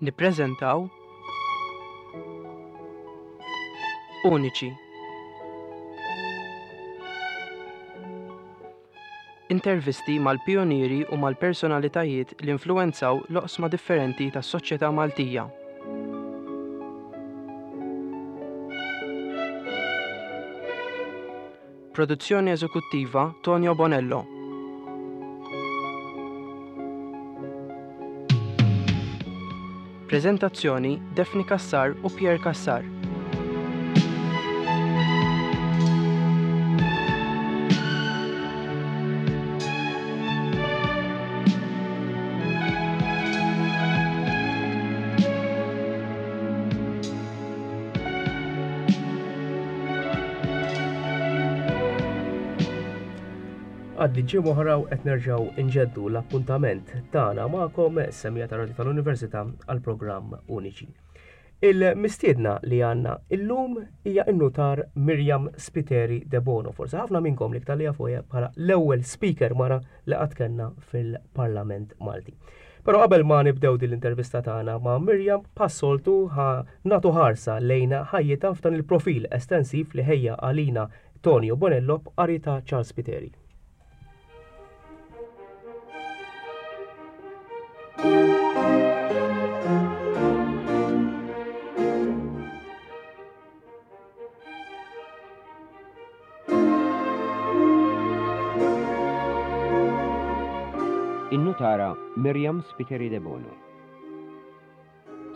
Nippreżentaw Uniċi. Intervisti mal-pijunieri u mal-personalitajiet li influwenzaw l-oqsma differenti tas-soċjetà Maltija. Produzzjoni eżekuttiva Tonio Bonello. Preżentazzjoni Daphne Cassar u Pierre Cassar. Għaddi ġimgħa oħra u qed nerġgħu nġeddu l-appuntament tagħna magħkom semija ta' Radio tal-Università għal programm Uniċi. Il-mistiedna li għandna illum hija n-nutar Mirjam Spiteri De Bono. Forsi ħafna minnkom li iktar li jafuha bħala l-ewwel speaker mara li qatt kellna fil-Parlament Malti. Però qabel ma nibdew din l-intervista tagħna ma' Miriam, bħas-soltu ħa nagħtu ħarsa lejn ħajjitha f'dan il-profil estensiv li ħejja għalina Tonio Bonello b'qari ta' Charles Spiteri. In-nutara Miriam Spiteri Debono.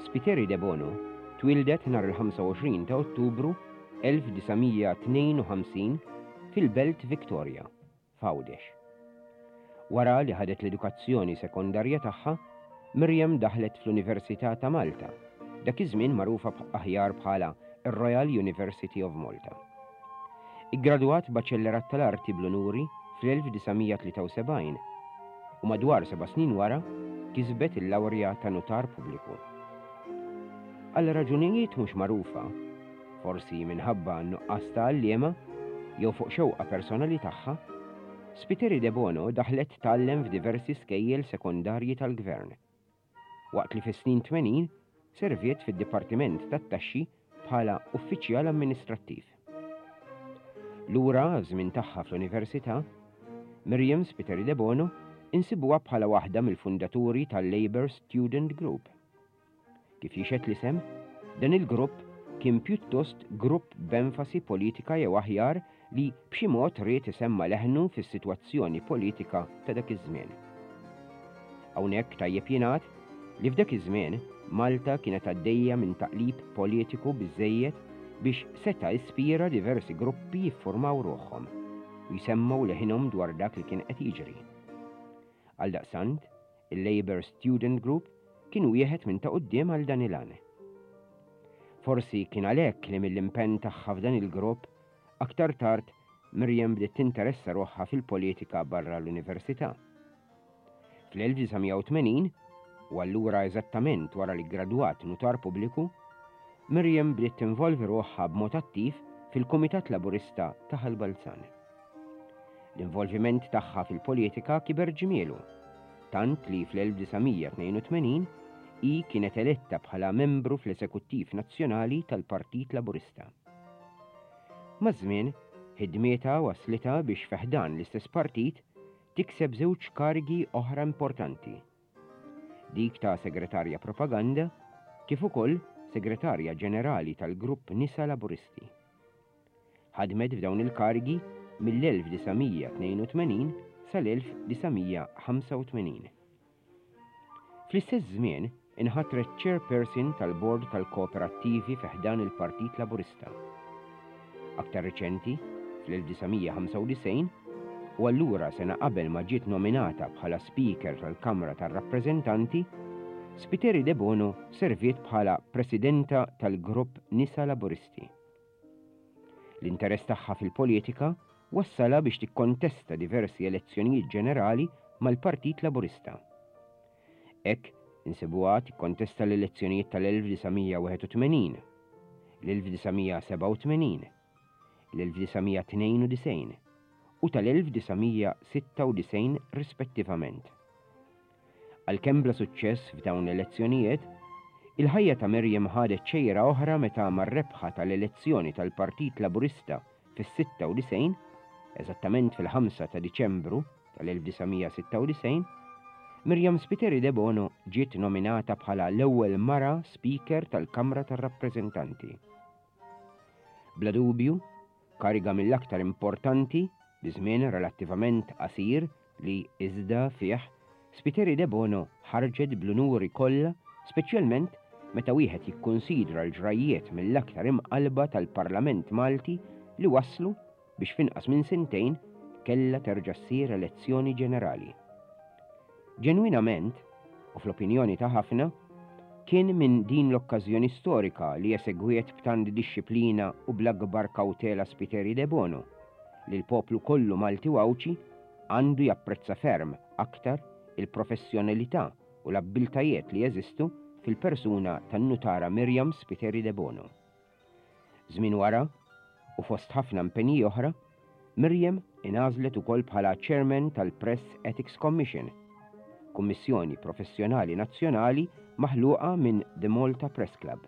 Spiteri Debono twieldet nhar il-25 ta' Ottubru 1952 fil-Belt Victoria, f'Għawdex. Wara li ħadet l-edukazzjoni sekondarja tagħha, Miriam daħlet fl-Università ta' Malta, dak iż-żmien magħrufa aħjar bħala r-Royal University of Malta. Iggradwat Baċellerat tal-Arti bl-Unuri fl-1973 u madwar seba' snin wara kisbet il-lawrja ta' Nutar Pubbliku. Għal raġunijiet mhux magħrufa, forsi minħabba n-nuqqas ta' għalliema jew fuq xewqa personali tagħha, Spiteri Debono daħlet tgħallem f'diversi skejjel sekondarji tal-Gvern, waqt li fis-snin 80 serviet fid-Dipartiment tat-Taxxi bħala uffiċjal amministrattiv. Lura għaż-żmien tagħha fl-Università, Miriam Spiteri Debono insibuha bħala waħda mill-fundaturi tal-Labour Student Group. Kif jixhed l-isem, dan il-grupp kien pjuttost grupp b'enfasi politika jew aħjar li b'xi mod ried isemma' leħnu fis-sitwazzjoni politika ta' dak iż-żmien. Hawnhekk tajjeb jingħad li f'dak iż-żmien Malta kienet għaddejja minn taqlib politiku biżżejjed biex seta' ispira diversi gruppi jiffurmaw ruħhom u jsemmgħu leħinhom dwar dak li kien qed jiġri. Għaldaqstant, Il-Labour Student Group kien wieħed minn ta' quddiem għal dan il-għan. Forsi kien għalhekk li mill-impenn tagħha f'dan il-grupp, aktar tard Miriam bdiet tinteressa ruħha fil-politika barra l-università. Fl-1980, u allura eżattament wara li ggradwat nutar pubbliku, Miriam bdiet tinvolvi ruħha b'mod attiv fil-Kumitat Laburista ta' Ħal Balzan. L-involviment tagħha fil-politika kiber ġmielu, tant li fl-1982 hi kienet eletta bħala membru fl-Eżekuttiv Nazzjonali tal-Partit Laburista. Maż-żmien, ħidmietha wasslitha biex fi ħdan l-istess partit tikseb żewġ karigi oħra importanti, dik ta' Segretarja Propaganda kif ukoll Segretarja Ġenerali tal-Grupp Nisa Laburisti. Ħadmet f'dawn il-karigi mill-1982 sal-1985. Fl-istess żmien inħatret Chairperson tal-Bord tal-Kooperattivi fi ħdan il-Partit Laburista. Aktar riċenti, fl-1995, u allura sena qabel ma ġiet nominata bħala Speaker tal-Kamra tar-Rappreżentanti, Spiteri Debono serviet bħala Presidenta tal-Grupp Nisa Laburisti. L-interess tagħha fil-politika wassalha biex tikkontesta diversi elezzjonijiet ġenerali mal-Partit Laburista. Hekk insibuha tikkontesta l-elezzjonijiet tal-1981, l-1987, l-1992 u tal-1996 rispettivament. Għalkemm bla suċċess f'dawn l-elezzjonijiet, Il-ħajja ta' Miriam ħadet xejra oħra meta mar-rebħa tal-elezzjoni tal-Partit Laburista fis-96, eżattament fil-ħamsa ta' Diċembru tal-1996, Miriam Spiteri Debono ġiet nominata bħala l-ewwel mara Speaker tal-Kamra tar-Rappreżentanti. Bla dubju, kariga mill-aktar importanti bi żmien relattivament qasir li iżda fih Spiteri Debono ħarġet bl-unuri kollha speċjalment meta wieħed jikkunsidra l-ġrajjiet mill-aktar imqallba tal-Parlament Malti li wasslu biex f'inqas minn sentejn kellha terġa' ssir elezzjoni ġenerali. Ġenwinament, u fl-opinjoni ta' ħafna, kien minn din l-okkażjoni storika li esegwiet b'tant dixxiplina u bl-akbar kawtela Spiteri Debono, li l-poplu kollu Malti u Għawdxi għandu japprezza ferm aktar il-professjonalità u l-abbiltajiet li jeżistu fil-persuna tan-Nutara Miriam Spiteri Debono. Żmien wara, u fost ħafna impenji oħra, Miriam ingħażlet ukoll bħala Chairman tal-Press Ethics Commission, kummissjoni professjonali nazzjonali maħluqa minn The Malta Press Club,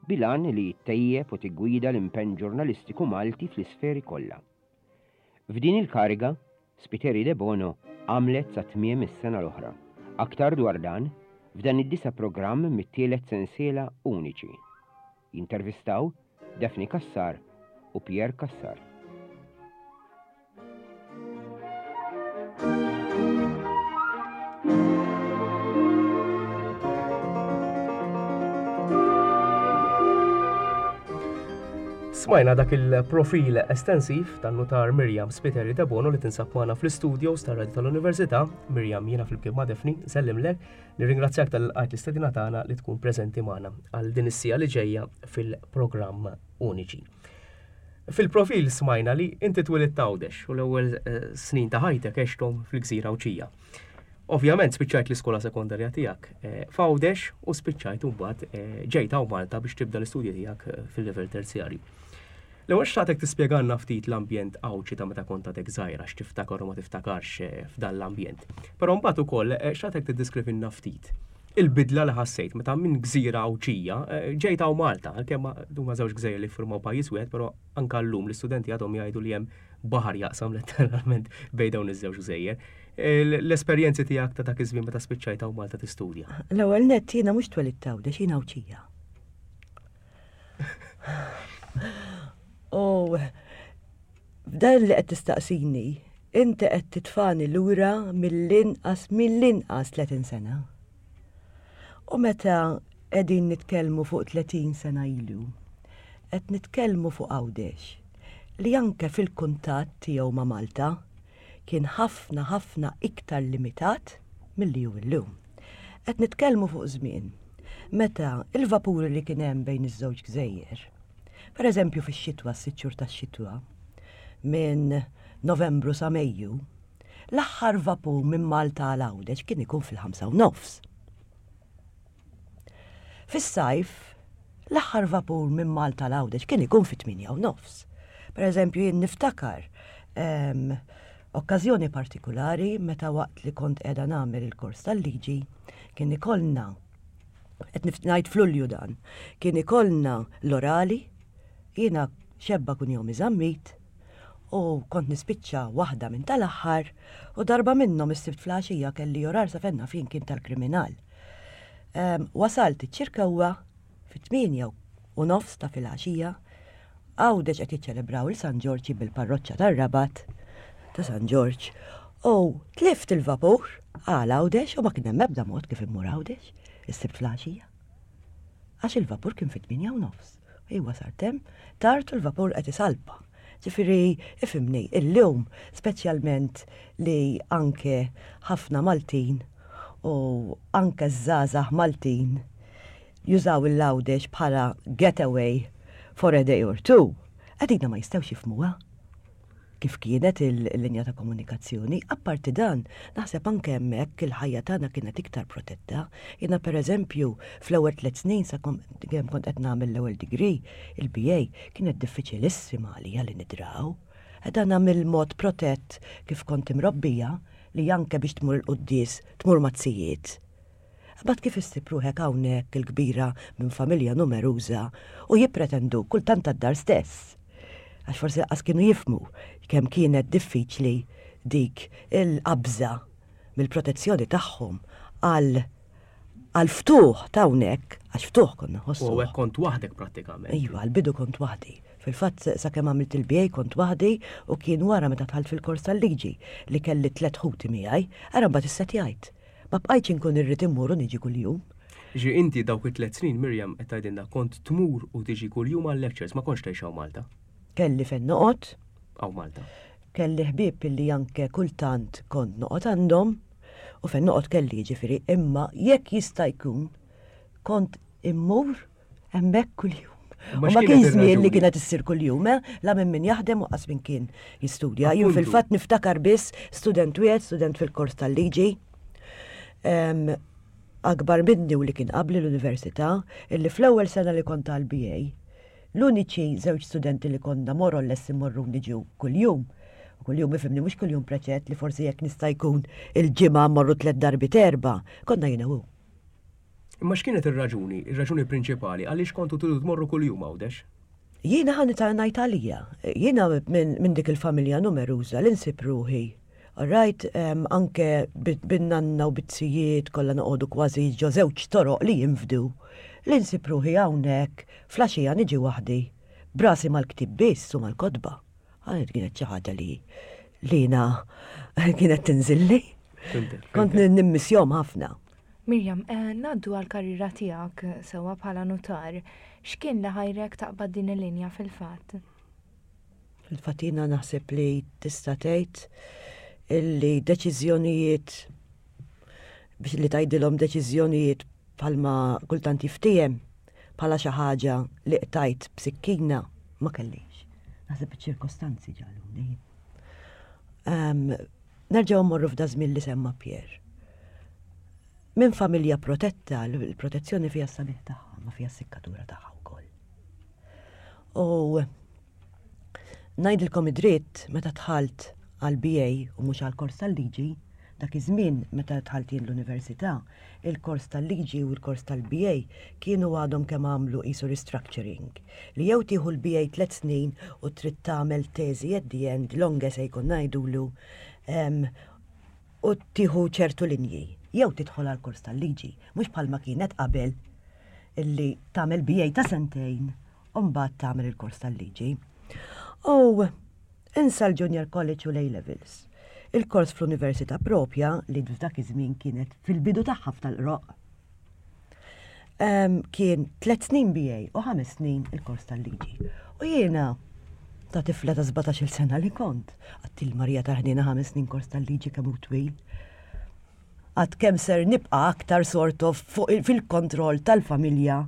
bil-għan li ttejjeb u tiggwida l-impenn ġurnalistiku Malti fl-isferi kollha. F'din il-kariga, Spiteri Debono għamlet sa tmiem is-sena l-oħra. Aktar dwar dan, f'dan id-disa' programm mit-tielet sensiela Uniċi. Jintervistaw Daphne Cassar u Pierre Cassar. Smajna dak il-profil estensiv tan-nutar Miriam Spiteri Debono li tinsab magħna fl-istudios tar-Radio tal-Università. Miriam jiena flimkien ma' Daphne, nsellimlek, nirringrazzjak tal-lqajt l-istedina tagħna li tkun preżenti magħna għal din is-siegħa li ġejja fil-programm Uniċi. Fil-profil smajna li inti twilidt Għawdex u l-ewwel eh, snin ta' ħajtek għexthom fil-Gżira Għawdxija. Ovvjament spiċċajt l-iskola sekondarja tiegħek eh, f'Għawdex u spiċċajt imbagħad eh, ġejt hawn Malta biex tibda l-istudji tiegħek eh, fil-livell terzjarju. L-ewwel xtaqtek tispjegalna ftit l-ambjent Għawdxi ta' meta kont għadek żgħira x'tiftakar u ma tiftakarx f'dan l-ambjent. Però mbagħad ukoll xtaqtek tiddeskrivilna ftit il-bidla li ħassejt meta minn gżira Għawdxija ġejt hawn Malta, għalkemm huma żewġ gżejjer li ffurmaw pajjiż wieħed, però anke llum l-istudenti għadhom jgħidu li hemm baħar jaqsam letteralment bejn dawn iż-żewġ gżejjer. L-esperjenzi tiegħek ta' dak iż-żmien meta spiċċajt hawn Malta tistudja. L-ewwel nett jiena mhux twelidt Għawdex, jiena Għawdxija. U f'dan li qed tistaqsini, inti qed titfani lura mill-inqas mill-inqas 30 sena. U meta qegħdin nitkellmu fuq 30 sena ilu, qed nitkellmu fuq Għawdex li anke fil-kuntatt tiegħu ma' Malta kien ħafna ħafna iktar limitat milli hu llum. Qed nitkellmu fuq żmien meta il-vapuri li kien hemm bejn iż-żewġ gżejjer, per eżempju fix-xitwa, s-sitt xhur tax-xitwa, minn Novembru sa Mejju, l-aħħar vapur minn Malta għal Għawdex kien ikun fil-ħamsa u nofs. Fis-sajf, l-aħħar vapur minn Malta għal Għawdex kien ikun fit-8 u nofs. Per eżempju, jien niftakar ehm, okkażjoni partikulari meta waqt li kont qiegħda nagħmel il-kors tal-liġi kien ikollna qed ngħid f'Lulju dan, kien ikollna l-orali, jiena xebba kunjomi Zammit, u kont nispiċċa waħda minn tal-aħħar u darba minnhom is-Sibt fl-għaxija kelli orar sa fejn naf jien kien tal-kriminal. Ehm, wasalt iċ-Ċirkewwa fit-8 u nofs ta' filgħaxija, Għawdex qed jiċċelebraw il San Ġorġ bil-parroċċa tar-Rabat ta' San Ġorġ u tlift il-vapur għal Għawdex u ma kien hemm ebda mod kif immur Għawdex is-Sibt filgħaxija. Għax il-vapur kien fit-8 u nofs. Iwa sar hemm, tard u l-vapur qed isalpa. Ġifieri, ifhimni, illum, speċjalment li anke ħafna Maltin u anke żgħażagħ Maltin jużaw il-Għawdex bħala getaway for a day or two, għadina ma jistgħux jifhmuha kif kienet il-linja ta' komunikazzjoni. Apparti dan, naħseb anke hemmhekk il-ħajja tagħna kienet iktar protetta. Jiena pereżempju fl-ewwel tliet snin sa kemm kont qed nagħmel l-ewwel degree, il-BA, kienet diffiċilissima għalija li nidraw. Dan mill-mod protett kif kont imrobbija li anke biex tmur il-quddies tmur ma' z-zijiet. Imbagħad kif issib ruħek hawnhekk il-kbira minn familja numeruża u jippretendu kultant tad-dar stess. Għax forsi lanqas kienu jifhmu kemm kienet diffiċli dik il-qabża mill-protezzjoni tagħhom għal għall-ftuħ ta' hawnhekk, għax ftuħ konna nħossu. U hawnhekk kont waħdek prattikament. Iva, għall-bidu kont waħdi. Fil-fatt sakemm għamilt il-BA kont waħdi u kien wara meta dħalt fil-kors tal-liġi li kelli tlett ħuti miegħi, ara mbagħad issettjajt. Ma bqajtx inkun irrid immur u niġi kuljum. Jiġifieri inti dawk it-tlett snin, Miriam, qed tgħidilna kont tmur u tiġi kuljum għal-lectures, ma kontx tgħix hawn Malta? Kelli fejn noqgħod. Hawn Malta. Kelli ħbieb li anke kultant kont noqgħod għandhom u fejn noqgħod kelli jiġifieri imma jekk jista' jkun kont immur hemmhekk kuljum. U ma kien żmien li kienet issir kuljum, eh? la minn min jaħdem u qas minn kien jistudja. Jien fil-fatt niftakar biss student wieħed, student fil-kors tal-liġi. Akbar minni u li kien qabli l-università, illi fl-ewwel sena li kont għal-BA, L-uniċi żewġ studenti li konna more or less immorru u niġu kuljum, u kuljum ifhimni mhux kuljum preċett li forsi jekk nista' jkun il-ġimgħa mmorru tlett darbiet erbgħa, konna jiena u hu. Imma x'kienet ir-raġuni, ir-raġuni prinċipali għaliex kontu tridu tmorru kuljum Għawdex? Jiena ħa ngħid għalija. Jiena minn dik il-familja numeruża li nsib ruħi All right, anke bin-nanna u bit-zijiet kollha noqogħdu kważi ġo żewġ toroq li jinfdu, li nsib ruħi hawnhekk fl-għaxija niġi waħdi, b'rasi mal-ktieb biss u mal-kotba. Għalhekk kienet xi ħaġa li jiena kienet tinżilli. Kont nimmissjahom ħafna. Miriam, ngħaddu għall-karriera tiegħek sewwa bħala nutar. X'kien li ħajrek taqbad din il-linja fil-fatt? Fil-fatt jiena naħseb li tista' tgħid illi deċiżjonijiet biex li tgħidilhom deċiżjonijiet bħalma kultant jiftiehem bħala xi ħaġa li qtajt b'sikkina ma kellix. Naħseb iċ-ċirkostanzi ġagħluni. Nerġgħu mmorru f'da żmien li semma Pierre. Minn familja protetta, l-protezzjoni fiha s-sabiħ tagħha, ma fiha s-sikkatura tagħha wkoll. U ngħidilkom id-dritt meta dħalt għal BA u mhux għal kors tal-liġi, dak iż-żmien meta dħalt jien l-università, il-kors tal-liġi u l-kors tal-BA kienu għadhom kemm għamlu qisu restructuring. Li jew tieħu l-BA tlett snin u trid tagħmel teżi at the end, long essay konna ngħidulu, u tieħu ċertu linji, jew tidħol għal kors tal-liġi, mhux bħalma kienet qabel illi tagħmel BA ta' sentejn u mbagħad tagħmel il-kors tal-liġi. U insa l-Junior College u l-A Levels. Il-kors fl-università propja li f'dak iż-żmien kienet fil-bidu tagħha f'tal-qroq. Kien tlet snin BA u ħames snin il-kors tal-liġi. U jiena ta' tifla ta' 17-il sena li kont, għattil Marija tal-ħniena ħames snin kors tal-liġi kemm hu twil. Għad kemm ser nibqa' aktar sort of fil-kontroll tal-familja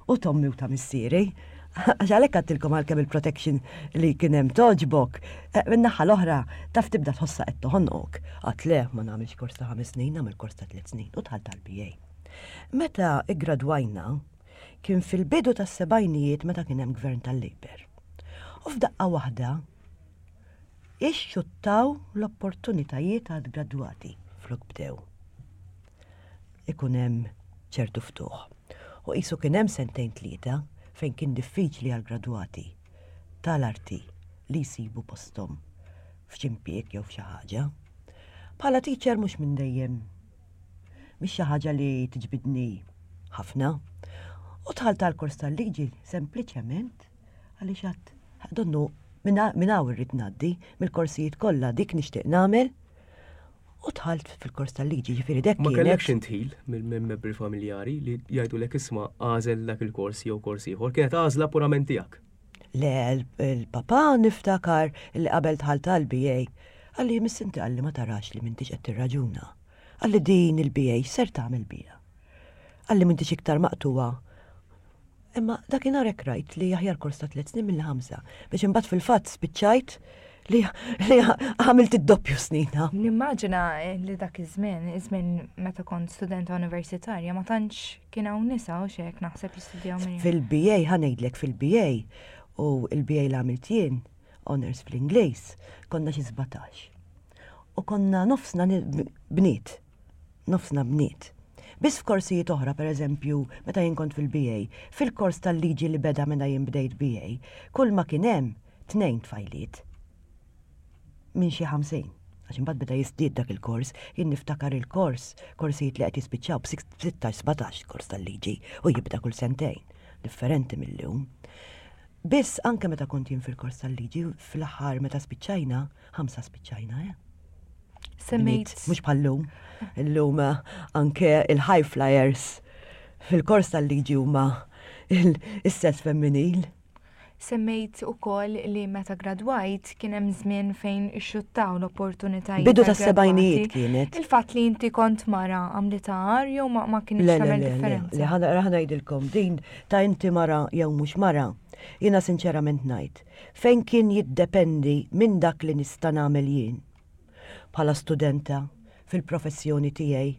u t'ommi u ta' missieri. Għax għalhekk għadtilkom għalkemm il-protection li kien hemm togħġbok, eh, min-naħa l-oħra taf tibda tħossha qed toħonqok. Għad le, ma nagħmilx kors ta' ħames snin, nagħmel kors ta' tliet snin u dħalt għall-BA. Meta iggradwajna, kien fil-bidu tas-sebgħinijiet meta kien hemm gvern tal-Labour. U f'daqqa waħda Ixxuttaw l-opportunitajiet għall-gradwati flok bdew ikun hemm ċertu ftuħ. U qisu kien hemm sentejn tlieta fejn kien diffiċli għall-gradwati tal-arti li jsibu posthom f'xi impjieg jew f'xi ħaġa. Bħala teacher mhux minn dejjem mhix xi ħaġa li tiġbidni ħafna. U dħalt għall-kors tal-liġi sempliċement Għaliex għad donnu minn hawn irrid ngħaddi mill-korsijiet kollha dik nixtieq nagħmel u dħalt fil-kors tal-liġi, ġifieri dek. Ma kellekx intħil minn membri familjari li jgħidulek isma' għażel dak il-kors jew kors ieħor, kienet għażla purament tiegħek. Le, il-papà niftakar li qabel dħalt għall-BA, qalli miss inti qalli ma tarax li m'intix qed tirraġuna. Qalli din il-BA x'ser tagħmel biha? Qalli m'intix iktar maqtugħa Imma dakinhar hekk rajt li aħjar kors ta' tliet snin milli ħamsa, biex imbagħad fil-fatt spiċċajt li għamilt id-doppju snin. Nimmaġina li dak iż-żmien, iż-żmien meta kont studenta universitarja, ma tantx kien hawn nisa u xek naħseb jistudjaw minn. Fil-BA ħa ngħidlek fil-BA u l-BA li għamilt jien, honors fl-Ingliż, konna xi 17. U konna nofsna bniet. Nofsna bniet. Biss f'korsijiet oħra, pereżempju, meta jien kont fil-BA, fil-kors tal-liġi li beda meta jien bdejt BA, kull ma kien hemm tnejn tfajliet minn xi 50. Għax imbagħad beda jiżdied dak il-kors, jien niftakar il-kors, korsijiet li qed jispiċċaw b'16, 17 kors tal-liġi u jibda kull sentejn, differenti mill-lum. Biss anke meta kont jien fil-kors tal-liġi, fl-aħħar meta spiċċajna, ħamsa spiċċajna, eh? Semmejt. Mhux bħal-lum. Illum eh, anke il-high flyers fil-kors tal-liġi huma il-sess femminil. Semmejt ukoll li meta gradwajt kien hemm żmien fejn ixxuttaw l-opportunitajiet. Bidu tas-sebgħinijiet kienet. Il-fatt li inti kont mara għamlitha agħar jew ma kinitx tagħmel differenza? Le, le, le, ħa ngħidilkom din ta' inti mara jew mhux mara, jiena sinċerament ngħid, fejn kien jiddependi minn dak li nista' nagħmel jien bħala studenta fil-professjoni tiegħi.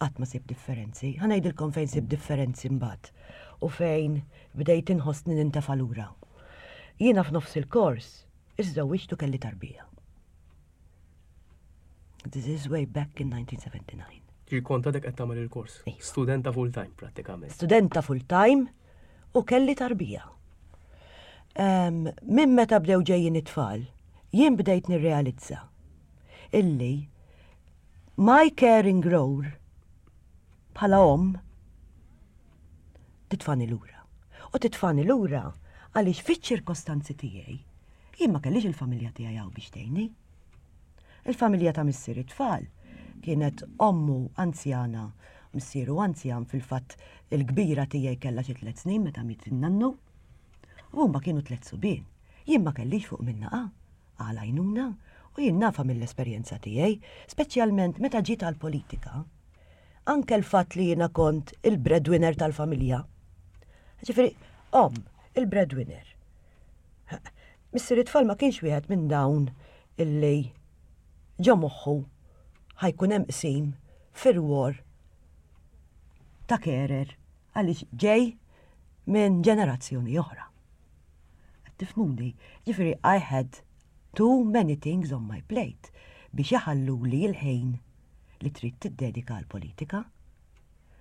Qatt ma sibt differenzi. Ħa ngħidilkom fejn sibt differenzi mbagħad u fejn bdejt inħossni nintefa' lura. Jiena f'nofs il-kors iżżewwiġt u kelli tarbija. This is way back in 1979. Ġi kont għadek qed tagħmel il-kors. Iva. Studenta full time prattikament. Studenta full time u kelli tarbija. Minn meta bdew ġejjin it-tfal, jien bdejt nirrealizza illi My caring role bħala omm titfani lura. U titfani lura għaliex fiċ-ċirkostanzi tiegħi jien ma kellix il-familja tiegħi hawn biex tgħinni. Il-familja ta' missier it-tfal kienet ommu anzjana, missieru anzjan fil-fatt il-kbira tiegħi kellha xi tliet snin meta miet in-nannu. U huma kienu tliet subien. Jien ma kellix fuq min naqa'. għal għajnuna u jien nafha mill-esperjenza tiegħi, speċjalment meta ġiet għall-politika. Anke l-fatt li jiena kont il-breadwinner tal-familja. Ġifieri, omm, il-breadwinner. Missier it-tfal ma kienx wieħed minn dawn illi ġo moħħu ħa jkun hemm qsim fir-rwol ta' carer għaliex ġej minn ġenerazzjoni oħra. Qed tifhmuni? Ġifieri I had too many things on my plate biex iħalluli l-ħin li trid tiddedika għall-politika.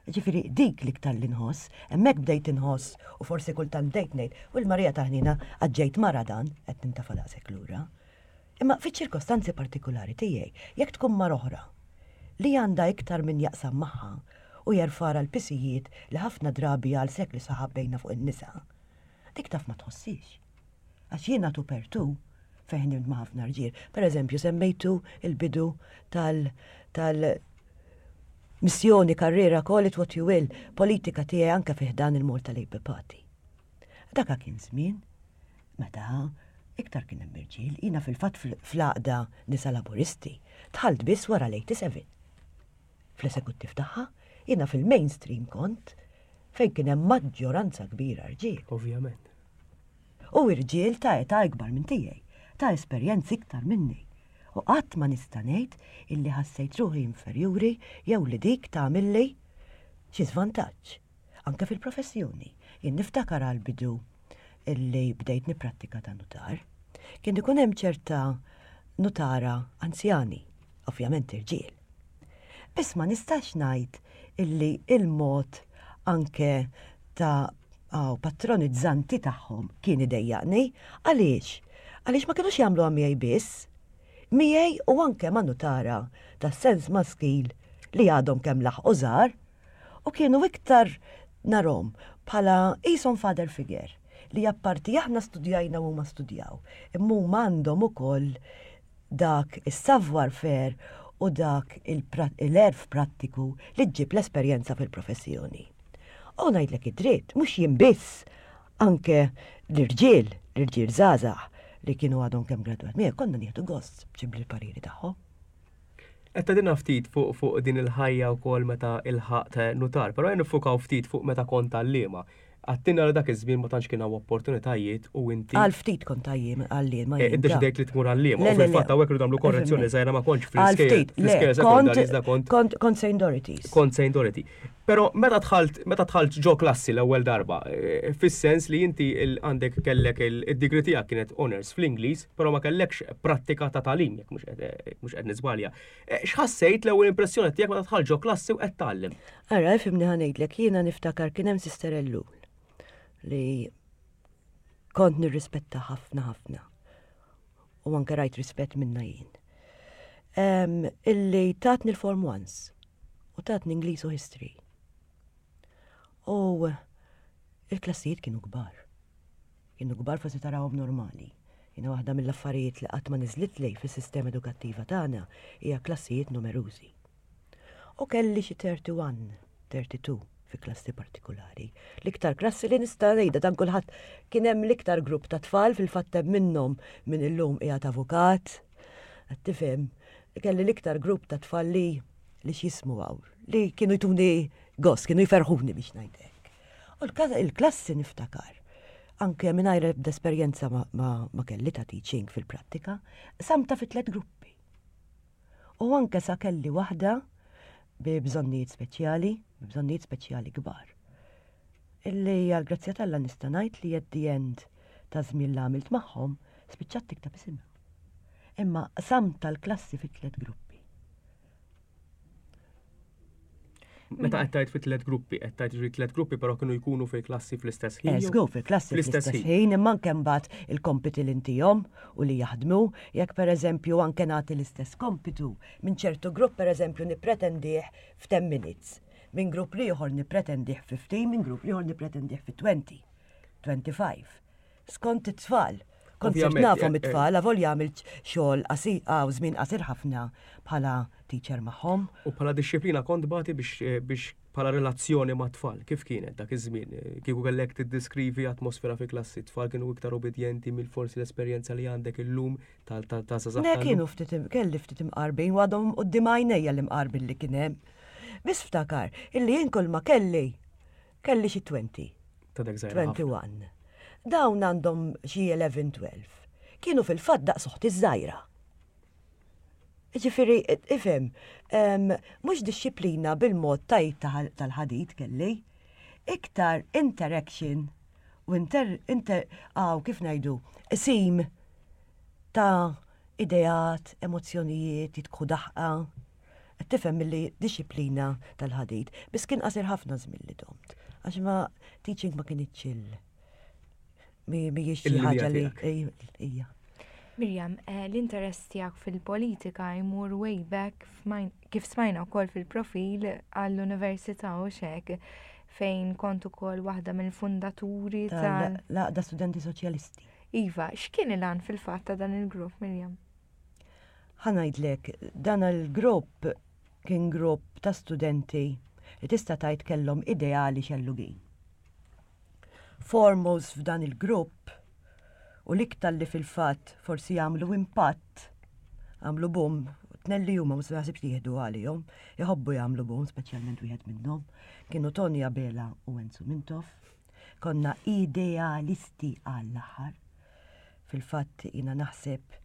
Ġifieri dik l-iktar li nħoss, hemmhekk bdejt inħoss u forsi kultant bdejt ngħid, u l-Marija ta' ħniena għad ġejt mara dan, qed nintafa' daqshekk lura. Imma fiċ-ċirkostanzi partikulari tiegħi, jekk tkun mara oħra li għandha iktar min jaqsam magħha u jerfgħalha l-pisijiet li ħafna drabi għal sekli sħaħ għabbejna fuq in-nisa, Dik taf ma tħossix. Għax jiena tu per tu fejn ħdimt ma' ħafna rġiel. Per eżempju, semmejtu il-bidu tal tal missjoni, karriera, call it what you will, politika tiegħi anke fi ħdan il-Malta Labour Party. Daka kien żmien meta iktar kien hemm irġiel, jiena fil-fatt fl-għaqda nisa laburisti dħalt biss wara l-87. Fl-esekuttiv tagħha, jiena fil-mainstream kont fejn kien hemm maġġoranza kbira rġiel. Ovvjament. U irġiel ta' età ikbar minn tiegħi, ta' esperjenzi iktar minni. U qatt ma nista' ngħid illi ħassejt ruħi inferjuri jew li dik tagħmilli xi żvantaġġ. Anke fil-professjoni. Jien niftakar għall-bidu illi bdejt nipprattika ta' nutar. Kien ikun hemm ċerta nutara anzjani, ovvjament irġiel. Biss ma nistax ngħid illi il-mod anke ta' aw patronizzanti tagħhom kien idejjaqni. Għaliex? Għaliex ma kinux jagħmluha miegħi biss. Miegħi u anke ma' nutara tas-sens maskil li għadhom kemm laħqu żgħar u kienu iktar narhom bħala qishom father figure li apparti aħna studjajna u huma studjaw, imma huma għandhom ukoll dak is-savoir faire u dak l-għerf prattiku li ġġib l-esperjenza fil-professjoni. U ngħidlek id-dritt, mhux jien biss, anke l-irġiel, l-irġiel żgħażagħ li kienu għadhom kemm gradwat miegħi, konna nieħdu gost b'xi pariri tagħhom. Qed tgħidilna ftit fuq fuq din il-ħajja wkoll meta ilħaqt nutar, però ejja niffukaw ftit fuq meta kont għalliema. Għattina li dak iż-żmien ma tantx kien hawn opportunitajiet u inti. Għal ftit kont għajjiem għalliem. Eh, iddeċidejt li tmur għalliem. U fil-fatt hawnhekk rridu nagħmlu korrezzjoni żgħira ma kontx fl-iskejjel. Fl-iskejjel sekondarji iżda kont. Kont St. Dorothy's. Kont St. Dorothy. Però meta dħalt meta dħalt ġo klassi l-ewwel darba, eh, fis-sens li inti għandek kellek id-degree tiegħek kienet honors fl-Ingliż, però ma kellekx prattika ta' tagħlim jekk mhux qed eh, niżbalja. X'ħassejt l-ewwel impressjoni tiegħek meta dħalt ġo klassi u qed tgħallem? Ara, ifhimni ħa ngħidlek, jiena niftakar kien hemm Sister Ellul li kont nirrispetta ħafna ħafna. U anke rajt rispett minna jien. Um, illi tatni l-Form Ones u tatni Ingliż u History. U il-klassijiet kienu kbar. Kienu kbar forsi tarawhom normali. Jiena waħda mill-affarijiet li qatt ma niżlitli fis-sistema edukattiva tagħna hija klassijiet numerużi. U kelli xi 31, 32 fi klassi partikulari. L-iktar klassi li nista' ngħidha dan kulħadd kien hemm l-iktar grupp ta' tfal fil-fatt hemm minnhom min illum qiegħed avukat. Qed tifhem, kelli l-iktar grupp ta' tfal li li x'jismu hawn, li kienu jtuni gost, kienu jferħuni biex ngħid hekk. U l-klassi niftakar, anke mingħajr ebda esperjenza ma, ma, ma kelli ta' teaching fil-prattika, samta fi tliet gruppi. U anke sa kelli waħda bi bżonnijiet speċjali, bi bżonnijiet speċjali kbar. Illi għal grazzja t'Alla nista' ngħid li at the end ta' żmien li għamilt magħhom spiċċat tikteb isimha. Imma qsamt tal-klassi fi tliet gruppi. Meta qed tgħid fi tliet gruppi, qed tgħid ġri tliet gruppi però kienu jkunu fil-klassi fl-istess ħin. Żgur fil-klassi fl-istess ħin, imma anke mbagħad il-kompiti li ntihom u li jaħdmu, jekk pereżempju anke nagħti l-istess kompitu minn ċertu grupp pereżempju nippretendih f'ten minutes, minn grupp l-ieħor nippretendih 15, minn grupp l-ieħor nippretendih fi 20, 25. Skont it-tfal. Kont sirt nafhom eh, eh. it-tfal, avolja għamilt xogħol qasir, għaw żmien qasir ħafna bħala teacher magħhom. U bħala dixxiplina kont bati biex eh, biex bħala relazzjoni ma' tfal, kif kienet dak iż-żmien? Kieku kellek tiddeskrivi atmosfera fi klassi, tfal kienu iktar obedjenti mill forsi l-esperjenza li għandek illum tal żgħażagħ. Le kienu ftit kelli ftit imqarbin u għadhom quddiem għajnejja l-imqarbin li kien hemm. Biss ftakar illi jien kull ma kelli kelli xi 20. Ta' dak żgħira ħafna. 21. Dawn għandhom xi 11, 12. Kienu fil-fatt daqs oħti ż-żgħira. Ġifieri, ifhem, mhux dixxiplina bil-mod tajt tal-ħadid kelli, iktar interaction u inter, inter, għaw kif ngħidu, sim ta' ideat, emozzjonijiet, jitku daħqa. Qed tifhem milli dixxiplina tal-ħadid, biss kien qasir ħafna żmien li domt. Għax ma teaching ma kinitx il mhijiex xi ħaġa li hija. Mirjam, eh, l-interess tiegħek fil-politika jmur way back kif smajna wkoll fil-profil għall-università u xek fejn kont ukoll waħda mill-fundaturi tal-Għaqda Studenti Soċjalisti. Iva, x'kien il-għan fil-fatt ta' dan il-grupp, Mirjam? Ħa ngħidlek, dan il-grupp kien grupp ta' studenti li tista' tgħid kellhom ideali xellugin. Foremost f'dan il-grupp u l-iktar li fil-fatt forsi għamlu impatt, għamlu boom, tnejn li huma ma naħsibx li jieħdu għalihom, iħobbu jagħmlu boom, speċjalment wieħed minnhom, kienu Tony Abela u Enzo Mintoff. Konna idealisti għall-aħħar. Fil-fatt jiena naħseb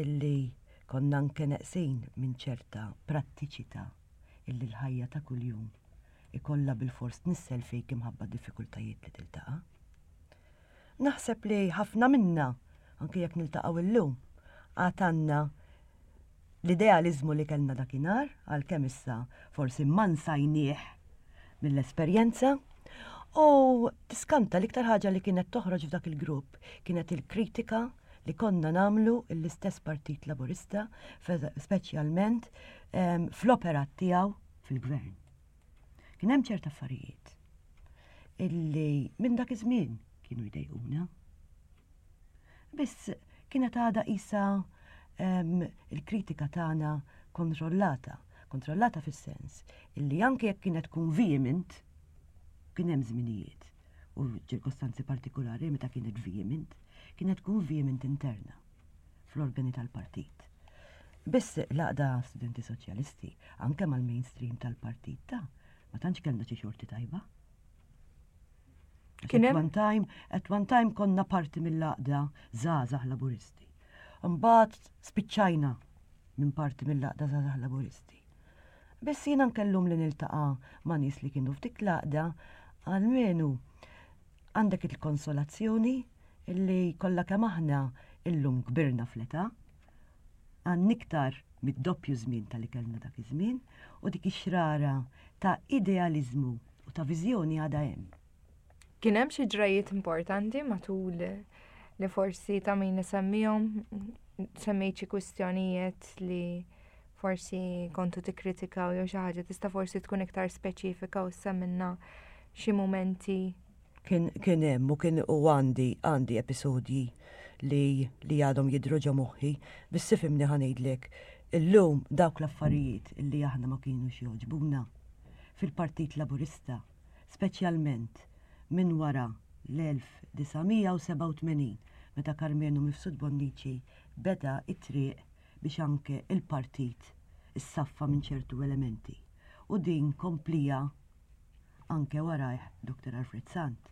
illi konna anke neqsin minn ċerta prattiċità illi l-ħajja ta' kuljum ikollha bilfors tnissel fik imħabba d-diffikultajiet li tiltaqa'. Naħseb li ħafna minna, anke jekk niltaqgħu illum, għad għandna l-idealiżmu li kellna dakinhar, għalkemm issa forsi mmansajnieh mill-esperjenza. U tiskanta l-iktar ħaġa li kienet toħroġ f'dak il-grupp kienet il-kritika li konna nagħmlu l-istess Partit Laburista, speċjalment ehm, fl-operat tiegħu fil-gvern. Kien hemm ċerta affarijiet illi minn dak iż-żmien kienu jdejquna. Biss kienet għadha qisha il-kritika tagħna kontrollata, kontrollata fis-sens illi anke jekk kienet tkun vehement, kien hemm żminijiet u ċirkostanzi partikolari meta kienet vehement, kienet tkun vehement interna fl-organi tal-partit. Biss l-għaqda Studenti Soċjalisti, anke mal-mainstream tal-partit ta' ma tantx kellna xi xorti tajba. Kien hemm one time, at one time konna parti mill-għaqda żgħażagħ Laburisti. Imbagħad spiċċajna minn parti mill-għaqda żgħażagħ Laburisti. Biss jiena nkellum li niltaqa' ma' nies li kienu f'dik l-għaqda għalmenu għandek il-konsolazzjoni illi kollha kemm aħna illum kbirna fl-età, għandna iktar mid-doppju żmien tal-li kellna dak iż-żmien u dik ix-xrara ta' idealiżmu u ta' viżjoni għadha hemm. Kien hemm xi ġrajiet importanti matul li forsi ta' min isemmihom semmejt xi kwistjonijiet li forsi kontu tikkritikaw jew xi ħaġa tista' forsi tkun iktar speċifika u semmilna xi mumenti. Kien kien hemm u kien u għandi għandi episodji li li għadhom jidhru ġo moħħi, biss ifhimni ħa ngħidlek, illum dawk l-affarijiet illi aħna ma kienux jogħġbuna fil-Partit Laburista, speċjalment minn wara l-1987 meta Karmenu Mifsud Bonnici beda t-triq biex anke l-partit issaffa minn ċertu elementi u din komplija anke warajh Dr. Alfred Sant.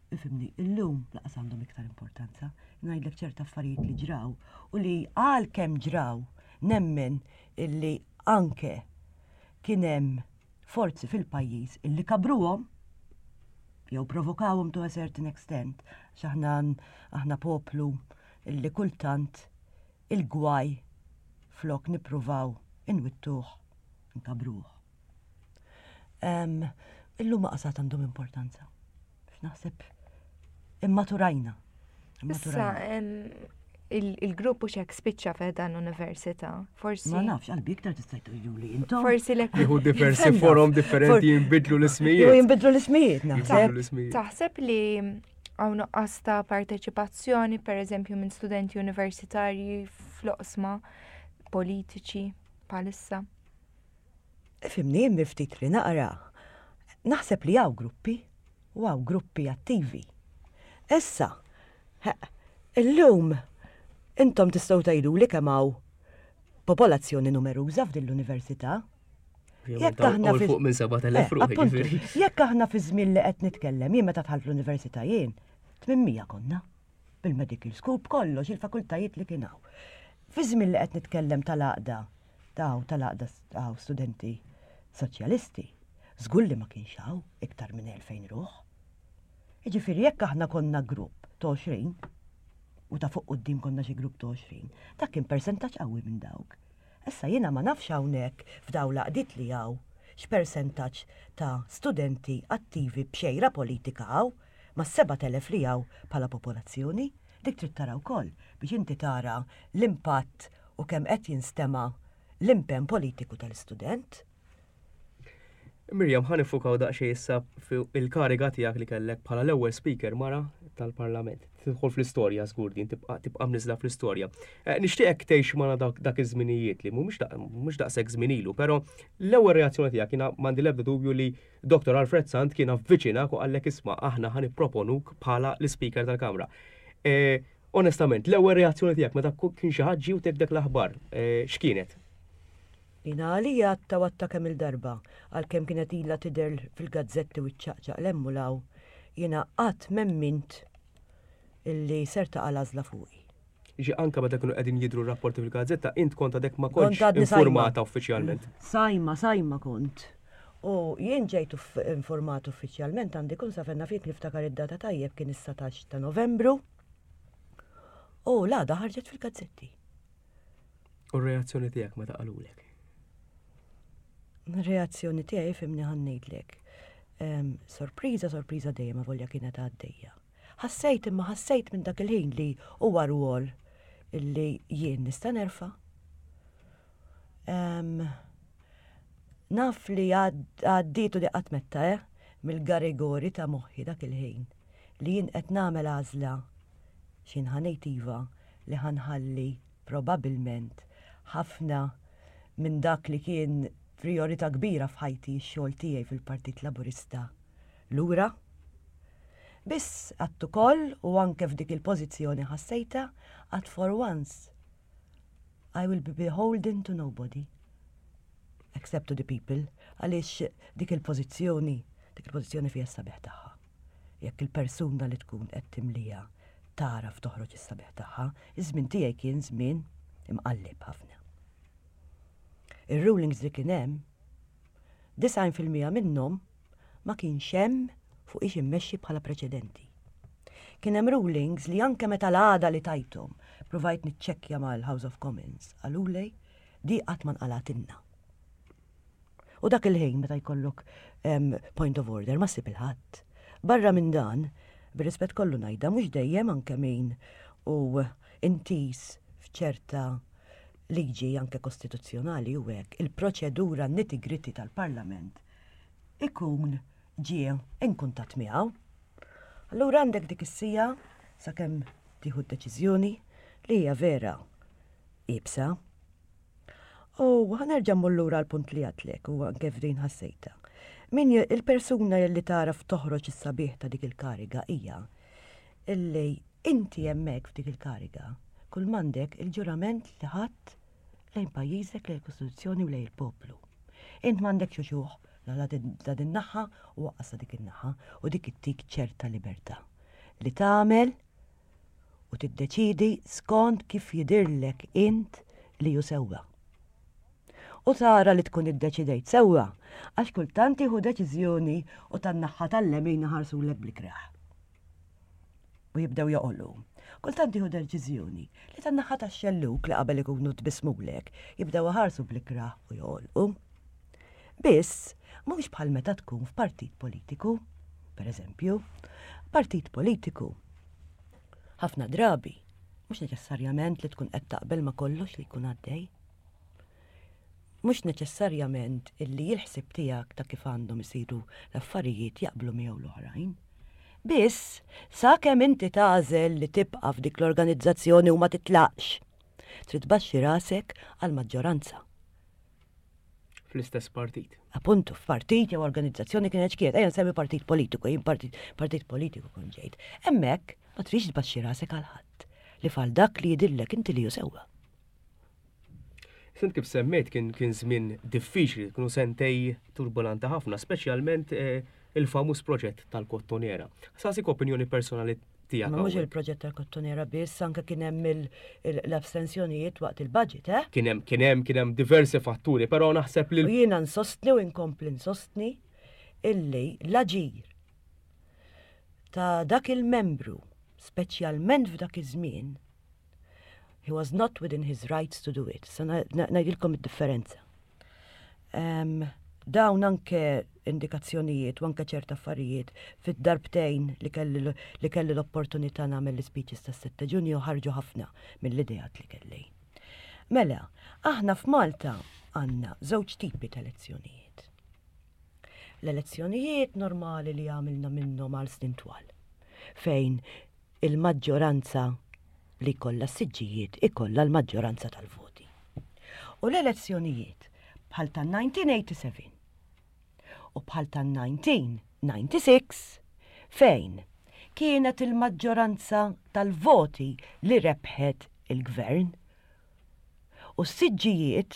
Ifhimni, illum laqas għandhom iktar importanza. Ngħidlek ċerta affarijiet li ġraw u li għalkemm ġraw nemmen illi anke kien hemm forzi fil-pajjiż illi kabruhom jew provokawhom to a certain extent, għax aħna aħna poplu illi kultant il-gwaj flok nippruvaw inwittuh nkabruh. Illum ma qasat għandhom importanza. Naħseb immaturajna. Issa, il-grupp u xek spiċċa f'dan l-università. Forsi. Ma nafx, qalbi iktar tista' tgħidu li intom. Forsi l Jieħu diversi forom differenti jinbidlu l-ismijiet. Jinbidlu l-ismijiet, naħseb. Taħseb li hawn nuqqas ta' parteċipazzjoni, per eżempju, minn studenti universitarji fl-oqsma politiċi bħalissa? Ifhimni, jien mill-ftit li naqra, naħseb li hawn gruppi u hawn gruppi attivi. Issa, illum intom tistgħu tgħiduli kemm hawn popolazzjoni numeruża f'din l-università. Jekk aħna fi fuq minn 7000 eh, ruħ. Jekk aħna fi żmien li qed nitkellem, jien meta dħalt l-università jien, 800 konna. Bil-medical school, b'kollox il-fakultajiet li kien hawn. Fi żmien li qed nitkellem tal-għaqda ta' tal-għaqda ta' studenti soċjalisti, żgur li ma kienx hawn iktar minn 2000 ruħ. Jiġifieri jekk aħna konna grupp ta' 20 u ta' fuq quddiem konna xi grupp ta' 20, dak kien persentaġġ qawwi minn dawk. Issa jiena ma nafx hawnhekk f'dawn l-għaqdiet li hawn x'persentaġġ ta' studenti attivi b'xejra politika hawn mas-7,000 li hawn bħala popolazzjoni. Dik trid tara wkoll biex inti tara l-impatt u kemm qed jinstema' l-impenn politiku tal-istudent. Miriam, ħa nifukaw daqsxejn issa fuq il-kariga tiegħek li kellek bħala l-ewwel speaker mara tal-Parlament. Tidħol fl-istorja żgur din tibqa' tibqa' mniżla fl-istorja. Eh, nixtieqek tgħix magħna dak iż-żminijiet li mhumiex daqshekk żmien ilu, però l-ewwel reazzjoni tiegħek jiena m'għandi l-ebda dubju li Dr. Alfred Sant kien avviċinak u qallek isma' aħna ħa nipproponuk bħala l-Ispeaker tal-Kamra. Eh, onestament, l-ewwel reazzjoni tiegħek meta kien xi ħadd ġie u tek dak l-aħbar, eh, x'kienet? Jiena għalija għadtha u għadtha kemm-il darba, għalkemm kienet ilha tidher fil-gazzetti u ċċaqċaq 'l hemm u 'l hawn, jiena qatt m'emmint illi ser taqa' l-għażla fuqi. Jiġi anke meta kienu qegħdin jidhru r-rapporti fil-gazzetta, int kont għadek ma kontx informata uffiċjalment. Sajma, sajma kont. U jien ġejt informat uffiċjalment għandi kun sa fejn naf jekk niftakar id-data tajjeb kien is-satax ta' Novembru. U l-għada ħarġet fil-gazzetti. U r-reazzjoni tiegħek meta qalulek? Reazzjoni tiegħi fimni ħa ngħidlek. Sorpriża, sorpriża dejjem avolja kienet għaddejja. Ħassejt imma ħassejt minn dak il-ħin li huwa rwol illi jien nista' nerfa'. Naf li għaddietu li qatt metta, eh, mill-garigori ta' moħħi dak il-ħin li jien qed nagħmel għażla x'jien ħa ngħid iva li ħa nħalli probabbilment ħafna minn dak li kien prijorità kbira f'ħajti x-xogħol tiegħi fil-Partit Laburista lura. Biss għadt ukoll u anke f'dik il-pożizzjoni ħassejtha għad for once I will be beholden to nobody except to the people għaliex dik il-pożizzjoni dik il-pożizzjoni fiha s-sabiħ tagħha. jekk il-persuna li tkun qed timlija tagħraf toħroġ is-sabiħ tagħha. Iż-żmien tiegħi kien żmien imqalleb ħafna. Ir-rulings li kien hemm, 90% minnhom ma kienx hemm fuq ix immexxi bħala preċedenti. Kien hemm rulings li anke meta l-għada li tajthom provajt niċċekkja mal-House of Commons qaluli di qatt ma nqalgħatilna. U dak il-ħin meta jkollok point of order ma ssib il-ħadd. Barra minn dan, bir-rispett kollu ngħidha mhux dejjem anke min u intiż f'ċerta liġi anke kostituzzjonali u hekk il-proċedura nitty-gritty tal-Parlament ikun ġie in kuntatt miegħu. Allura għandek dik is-sija sakemm tieħu d-deċiżjoni li hija vera iebsa. U ħanerġa' mmur lura għall-punt li għadtlek u anke f'din ħassejtha. Min il-persuna li tagħraf toħroġ is-sabiħ ta' dik il-kariga hija illi inti hemmhekk f'dik il-kariga kull m'għandek il-ġurament li ħadt lejn pajjiżek, lejn il-Kostituzzjoni u lejn il-poplu. Int m'għandekx uċuħ la ta' din naħa u waqqas ta' dik in-naħa u dik ittik ċerta libertà li tagħmel u tiddeċiedi skont kif jidhirlek int li hu sewwa. U tara li tkun iddeċidejt sewwa għax kultant tieħu deċiżjoni u tan-naħa tal-lemin iħarsulek bl-ikrah. U jibdew joqogħlu. Kultant tieħu deċiżjoni li tan-naħa tax-xellug li qabel ikunu tbissmulek jibdew iħarsu bl-ikrah u joqolqu. Biss, mhux bħal meta tkun f'partit politiku, per eżempju, partit politiku Ħafna drabi, mhux neċessarjament li tkun qed taqbel ma' kollox li jkun għaddej. Mhux neċessarjament illi l-ħsieb tiegħek ta' kif għandhom isiru l-affarijiet jaqblu miegħu l-oħrajn. Biss, sakemm inti tagħżel li tibqa' f'dik l-organizzazzjoni u ma titlaqx, trid tbaxxi rasek għall-maġġoranza. fl-istess partit. Appuntu, f'partit jew organizzazzjoni kienet x'kienet, ejja nsemmi partit politiku, jien partit, partit politiku kont ġejt. Hemmhekk ma tridx tbaxxi rasek għal ħadd li fal dak li jidillek inti li hu sewwa. Sent kif semmejt kien kien żmien diffiċli, kienu sentej turbulanti ħafna, speċjalment eh, il-famuż proġett tal-kottonera. Sasik opinjoni personali tiegħek. Ma mhux il-proġett tal-kottonera biss, anke kien hemm l-abstensjonijiet waqt il-budget, eh? Kien hemm kien hemm kien hemm diversi fatturi, però naħseb li. U jiena nsostni u nkompli nsostni illi l-aġir ta' dak il-membru, speċjalment f'dak iż-żmien, he was not within his rights to do it. Sa ngħidilkom id-differenza. Dawn anke indikazzjonijiet u anke ċerta affarijiet fid-darbtejn li kelli li kelli l-opportunità nagħmel l-ispeeches tas-7 Ġunju ħarġu ħafna mill-ideat li kelli. Mela, aħna f'Malta għandna żewġ tipi ta' elezzjonijiet. L-elezzjonijiet normali li għamilna minnhom għal snin twal, fejn il-maġġoranza li jkollha s-siġġijiet ikollha l-maġġoranza tal-voti. U l-elezzjonijiet bħal tan-1987 u bħal tan-1996 fejn kienet il-maġġoranza tal-voti li rebħet il-gvern u s-siġġijiet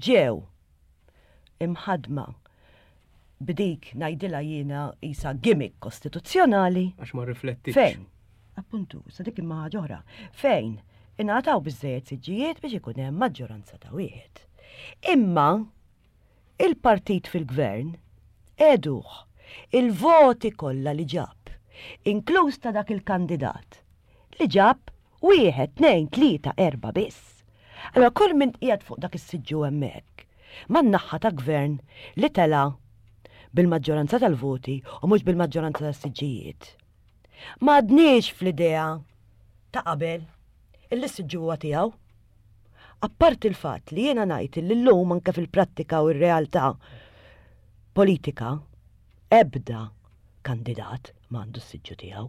ġew imħaddma b'dik ngħidilha jiena qisha gimmick kostituzzjonali. Għax ma rriflettitx. Fejn? Appuntu, sa dik imma ħaġa oħra. Fejn ingħataw biżżejjed siġġijiet biex ikun hemm maġġoranza ta' wieħed. Imma il-partit fil-gvern għeduh il-voti kollha li ġab, inkluż ta' dak il-kandidat li ġab Wieħed, tnejn, tlieta, erbgħa biss. Allura kull min qiegħed fuq dak is-siġġu hemmhekk, man-naħa ta' gvern li tela' bil-maġġoranza tal-voti u mhux bil-maġġoranza tas-siġġijiet. M'għadniex fl-idea ta' qabel illi s-siġġu huwa tiegħu. Apparti l-fatt li jiena ngħid illi llum anke fil-prattika u r-realtà politika ebda kandidat m'għandu s-siġġu tiegħu.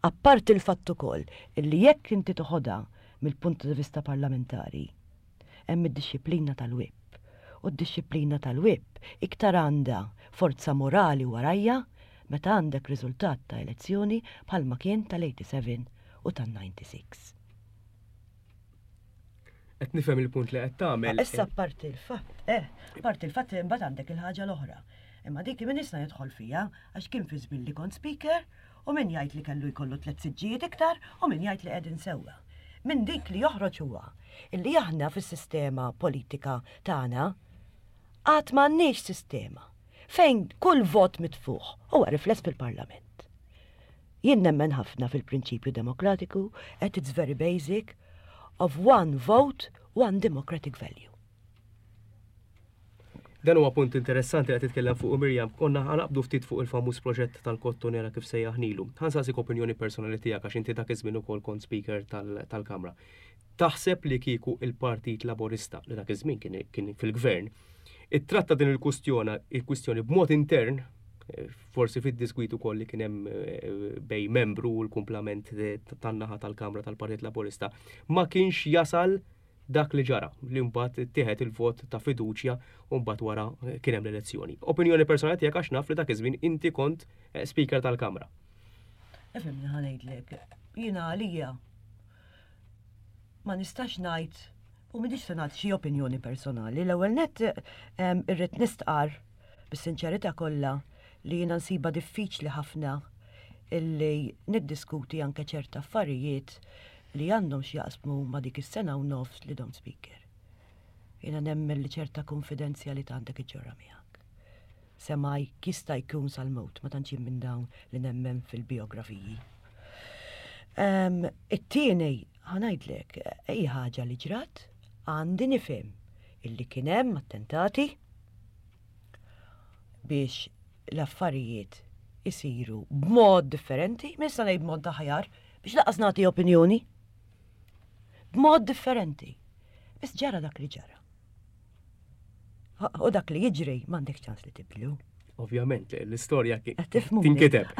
Apparti l-fatt ukoll illi jekk inti toħodha mill-punt di vista parlamentari, hemm id-dixxiplina tal-whip. U d-dixxiplina tal-whip iktar għandha forza morali warajha meta għandek riżultat ta' elezzjoni bħalma kien tal-87 u tan-96. Qed nifhem il-punt li qed tagħmel. Issa apparti l-fatt, eh, apparti l-fatt imbagħad għandek il-ħaġa l-oħra. Imma dik min issa jidħol fiha għax kien fi żmien li kont speaker u min jgħid li kellu jkollu tliet siġġijiet iktar u min jgħid li qegħdin sewwa. Minn dik li joħroġ huwa illi aħna fis-sistema politika tagħna għad m'għandniex sistema fejn kull vot mitfugħ huwa rifless fil-Parlament. Jien nemmen ħafna fil-prinċipju demokratiku at its very basic of one vote, one democratic value. Dan huwa punt interessanti li qed titkellem fuq Mirjam. Konna ħanaqbdu ftit fuq il-famuż proġett tal-kottonera kif sejjaħnilu. Ħansaqsik opinjoni personali tiegħek għax inti dak iż-żmien ukoll kont speaker tal-Kamra. Taħseb li kieku il-Partit Laburista li dak iż-żmien kien fil-gvern ittratta din il-kustjona il-kwistjoni b'mod intern eh, forsi fid-diskwit ukoll li kien hemm eh, bej membru u l-kumplament tan-naħa tal-Kamra tal-Partit Laburista ma kienx jasal dak li ġara, li mbagħad ittieħed il-vot ta' fiduċja u mbagħad wara eh, kien hemm l-elezzjoni. Opinjoni personali tiegħek għax naf li dak iż-żmien inti kont eh, speaker tal-Kamra. Ifhimni ħa ngħidlek, jiena għalija ma nistax ngħid u m'inix se nagħti xi opinjoni personali. L-ewwel nett irrid nistqar bis-sinċerità kollha li jiena nsibha diffiċli ħafna illi niddiskuti anke ċerta affarijiet li għandhom x'jaqsmu ma' dik is-sena u nofs li domt speaker. Jiena nemmen li ċerta kunfidenzjalità għandek iġġorra miegħek. Semaj jista' jkun sal-mewt, ma tantx jien minn dawn li nemmen fil-bijografiji. Ehm, it-tieni, ħanajdlek, hi ħaġa li ġrat, għandi nifhem illi kien hemm attentati biex l-affarijiet isiru b'mod differenti, minn sa ngħid b'mod aħjar, biex laqas nagħti opinjoni. B'mod differenti. Biss ġara dak li ġara. U dak li jiġri m'għandek ċans li tibdlu. Ovvjament, l-istorja tinkiteb.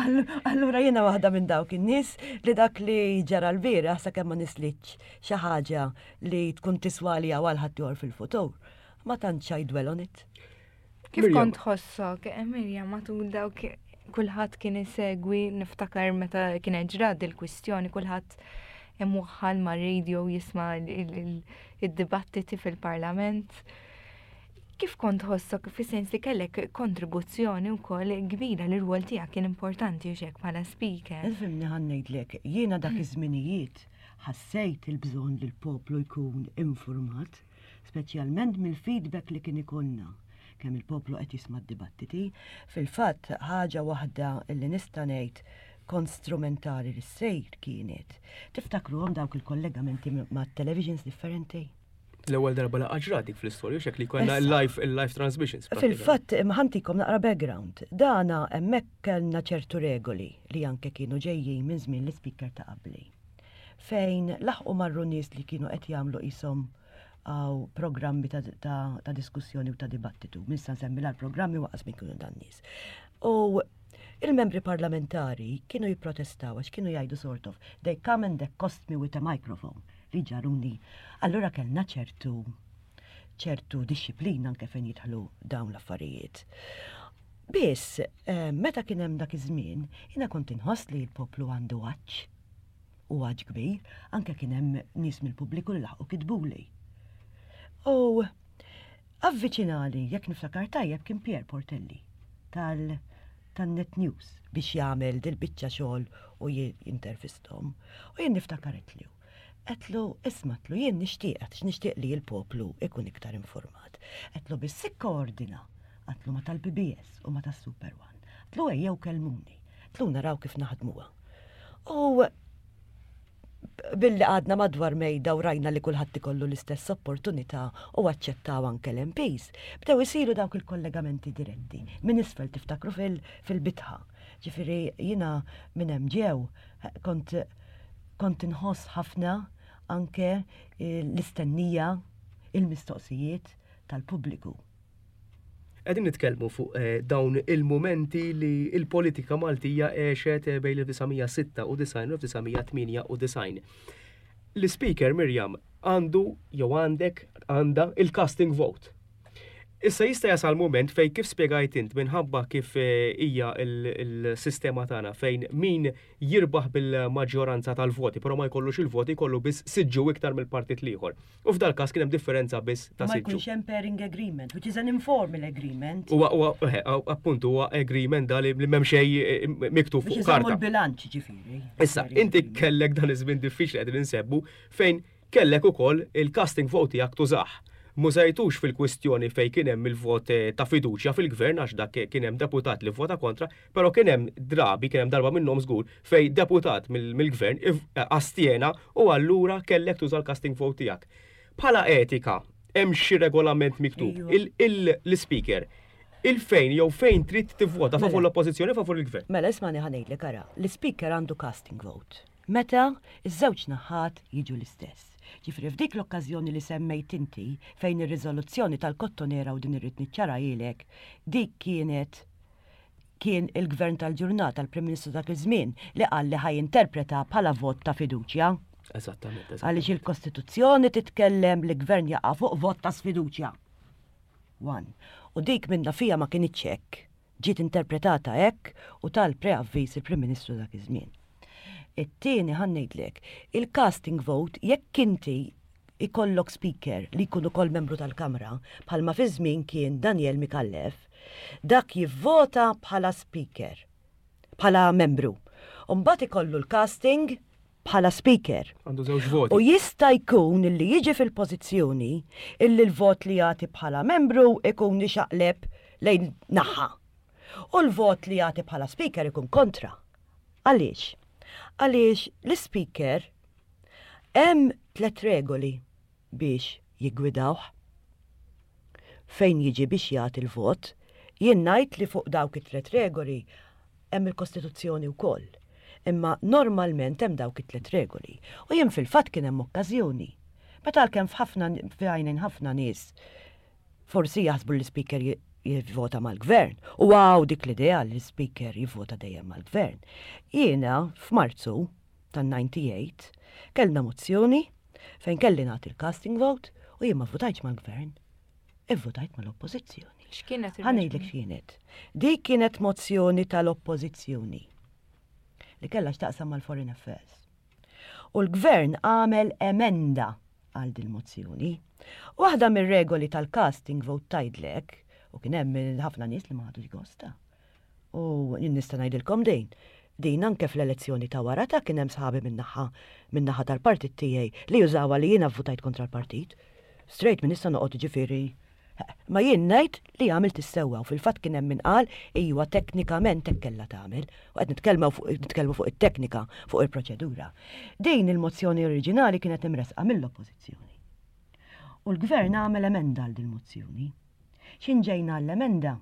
Allura jiena waħda minn dawk in-nies li dak li ġara l-bieraħ sakemm ma nislitx xi ħaġa li tkun tiswa li għal ħaddieħor fil-futur. Ma tantx I dwell on it. Kif kont tħossok, eh, Mirjam, matul dawk kulħadd kien isegwi, niftakar meta kienet ġrad il-kwistjoni, kulħadd imwaħħal ma' radio jisma' id-dibattiti fil-parlament. Kif kont tħossok fi sens li kellek kontribuzzjoni wkoll kbira li r-rwol tiegħek kien importanti u xek bħala speaker? Ifhimni ħa ngħidlek, jiena dak iż-żminijiet ħassejt il-bżonn li l-poplu jkun infurmat speċjalment mill-feedback li kien ikollna kemm il-poplu qed jisma' d-dibattiti. Fil-fatt, ħaġa waħda li nista' ngħid kont strumentali li ssir kienet, tiftakruhom dawk il-kollegamenti ma' televisions differenti? L-ewwel darba laqgħa ġrat dik fl-istorja, xek li konna live il-live transmissions. Fil-fatt, ħantikom naqra background. Dana hemmhekk kellna ċertu regoli li anke kienu ġejjin minn żmien l-ispeaker ta' qabli. Fejn laħqu marru nies li kienu qed jagħmlu qishom għaw programmi ta', ta, ta diskussjoni u ta' dibattitu. Min sa nsemmi l-programmi waqas minn kienu dan nies. U il-membri parlamentari kienu jipprotestaw għax kienu jgħidu sort of they come and accost me with a microphone li ġaruni. Allura kellna ċertu ċertu disciplina anke fejn jidħlu dawn l-affarijiet. Biss, eh, meta kien hemm dak iż-żmien, jiena kont inħoss li l-poplu għandu għatx u għaġ kbir, anke kien hemm nies mill-pubbliku li laħqu kitbuli. U avviċinali, jekk niftakar tajjeb, kien Pierre Portelli tal tan-Net News biex jagħmel dil-biċċa xogħol u jintervistom. U jien niftakar għedtlu. Għedtlu, isma' għedtlu jien nixtieq għax nixtieq li l-poplu ikun iktar informat. Għedtlu biss ikkoordina għedtlu ma tal-PBS u ma tas-Super One. Għedtlu ejjew kellmuni. Tlu naraw kif naħdmuha. U billi għadna madwar mejda u rajna li kulħadd ikollu l-istess opportunità u aċċettaw anke l-MPs, bdew isiru dawk il-kollegamenti diretti. Minn isfel tiftakru fil-bitħa. Ġifieri jiena minn hemm ġew kont kont inħoss ħafna anke l-istennija, il-mistoqsijiet tal-pubbliku. Qegħdin nitkellmu fuq eh, dawn il-mumenti li il-politika Maltija għexet eh, bejn l-1996 u 1998. L-speaker Mirjam għandu jew għandek għandha il-casting vote. Issa jista' jasal mument fejn kif spjegajt int minħabba kif hija l-sistema tagħna fejn min jirbaħ bil-maġġoranza tal-voti, però ma jkollux il-voti jkollu biss siġġu iktar mill-partit l-ieħor. U f'dal każ kien hemm differenza biss ta' Ma siġġu. jkunx hemm pairing agreement, which is an informal agreement. Huwa huwa eh, appuntu huwa agreement da li m'hemm xejn eh, miktub Biex fuq iżommu karta. l-bilanċ ġifieri. Issa, inti kellek dan iż-żmien diffiċli qegħdin insebbu fejn kellek ukoll il-casting vote tiegħek tużah. M'użajtux fil-kwistjoni fejn kien hemm il-vot eh, ta' fiduċja fil-gvern għax dak kien hemm deputat li vvota kontra, però kien hemm drabi, kien hemm darba minnhom żgur fejn deputat mill-gvern astjena u allura kellek tuża l-casting vote tiegħek. Bħala etika, hemm xi regolament miktub l-ispeaker il-fejn jew fejn trid tivvota favur Mela. l-oppożizzjoni favur il-gvern. Mela ismani ħa ngħidlek ara, l-ispeaker għandu casting vote. Meta iż-żewġ naħat jiġu l-istess. Ġifieri f'dik l-okkażjoni li semmejt inti fejn ir-riżoluzzjoni tal-Kottonera u din irrid niċċarahilek, dik kienet kien il-gvern tal-ġurnata, l-Prim Ministru dak iż-żmien, li qal li ħa jinterpreta bħala vot ta' fiduċja. Eżattament, eżattament. Għaliex il-Kostituzzjoni titkellem li gvern jaqa' fuq vot ta' sfiduċja. One. U dik minna fija ma kinitx hekk. Ġiet interpretata hekk u tal-preavviż il-Prim Ministru dak iż-żmien. It-tieni ħa ngħidlek, il-casting vote jekk inti ikollok speaker li jkun ukoll membru tal-Kamra, bħalma fi żmien kien Daniel Micallef, dak jivvota bħala speaker, bħala membru. U mbagħad ikollu l-casting bħala speaker. Għandu żewġ voti. U jista' jkun illi jiġi fil-pożizzjoni illi l-vot li jagħti bħala membru ikun ixaqleb lejn naħa. U l-vot li jagħti bħala speaker ikun kontra. Għaliex? Għaliex l-speaker hemm tlet regoli biex jiggwidawh fejn jiġi biex jagħti l-vot. Jien ngħid li fuq dawk it-tlet regoli hemm il-Kostituzzjoni wkoll. Imma normalment hemm dawk it-tlet regoli. U jien fil-fatt kien hemm okkażjoni. Meta għalkemm f'ħafna f'għajnejn ħafna nies forsi jaħsbu li l-speaker jivvota mal-gvern. U għaw dik l-idea li l-speaker jivvota dejjem mal-gvern. Jiena f'Marzu tan-98 kellna mozzjoni fejn kelli nagħti l-casting vote u jien ma votajtx mal-gvern, ivvotajt mal-oppożizzjoni. X'kienet Ħa ngħidlek x'kienet. Dik kienet mozzjoni tal-oppożizzjoni li kellha x'taqsam mal-Foreign Affairs. U l-gvern għamel emenda għal dil-mozzjoni. Waħda mir-regoli tal-casting vote tgħidlek, u kien hemm ħafna nies li ma ħadux gosta. U jien nista' ngħidilkom din, din anke fl-elezzjoni ta' wara ta' kien hemm sħabi min-naħa min-naħa tal-partit tiegħi li jużawha li jiena vvutajt kontra l-partit. Straight min nista' noqgħod ġifieri Ma jien ngħid li għamilt is-sewwa u fil-fatt kien hemm min qal iwa teknikament hekk kellha tagħmel u qed nitkellmu fuq nitkellmu fuq it-teknika, fuq il-proċedura. Din il-mozzjoni oriġinali kienet imressqa mill-Oppożizzjoni. U l-Gvern għamel emenda għal dil-mozzjoni. X'in ġejna għall-emenda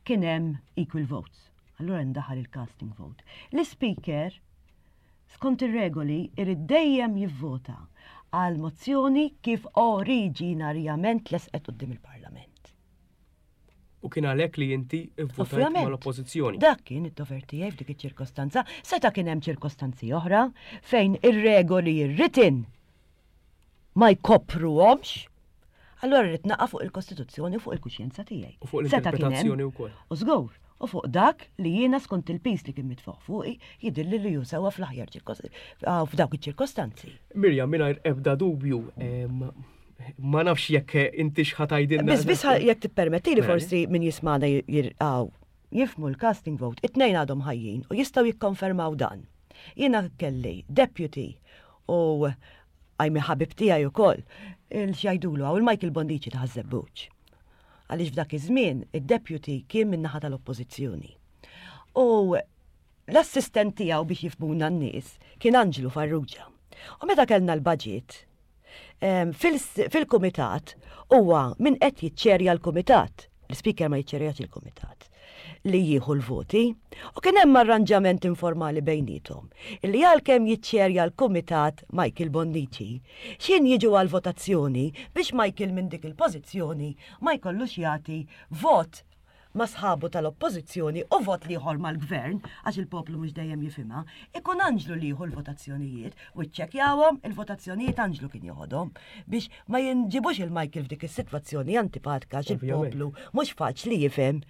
kien hemm equal votes. Allura ndaħal il-casting vote. L-Ispeaker skont ir-regoli irid dejjem jivvota għal mozzjoni kif oriġinarjament tlesqet quddiem il-Parlament. U kien għalhekk li inti vvutajt Ovvjament. mal-Oppożizzjoni. Dak kien id-dover tiegħi f'dik iċ-ċirkostanza. Seta' kien hemm ċirkostanzi oħra fejn ir-regoli written ma jkopruhomx, allura rrid naqa' fuq il-Kostituzzjoni u fuq il-kuxjenza tiegħi. U fuq Seta' kien hemm. l-interpretazzjoni wkoll. U żgur, u fuq dak li jiena skont il-piż li kien mitfuq fuqi jidhirli li hu sewwa fl-aħjar f'dawk iċ-ċirkostanzi. Mirjam, mingħajr ebda dubju, ma nafx jekk inti x'ħa tgħidilna. Biss biss jekk tippermettili Mela. forsi min jismagħna jirqgħu jifhmu l-casting vote, it-tnejn għadhom ħajjin u jistgħu jikkonfermaw dan. Jiena kelli deputy u għajmi ħabib tiegħi wkoll il-xjajdulu għaw il-Michael Bonnici ta' Ħaż-Żebbuġ. Għaliex f'dak iż-żmien id-deputy kien min-naħa tal-Oppożizzjoni. U l-assistent tiegħu biex jifhmuna n-nies kien Anġlu Farrugia. U meta kellna l-budget, fil-kumitat huwa min qed jiċċerja l-kumitat. L-speaker ma jiċċerjax il-kumitat li jieħu l-voti u kien hemm arranġament informali bejniethom illi għalkemm jiċċerja l-kumitat Michael Bonnici, x'in jiġu għal votazzjoni biex Michael minn dik il-pożizzjoni ma jkollux jagħti vot ma' sħabu tal-Oppożizzjoni u vot l-ieħor mal-Gvern, għax il-poplu mhux dejjem jifhimha, ikun Anġlu li jieħu l-votazzjonijiet u ċċekkjawhom, il-votazzjonijiet Anġlu kien joħodhom biex ma jinġibux il-Michael f'dik is-sitwazzjoni antipatika għax il-poplu mhux faċli jifhem.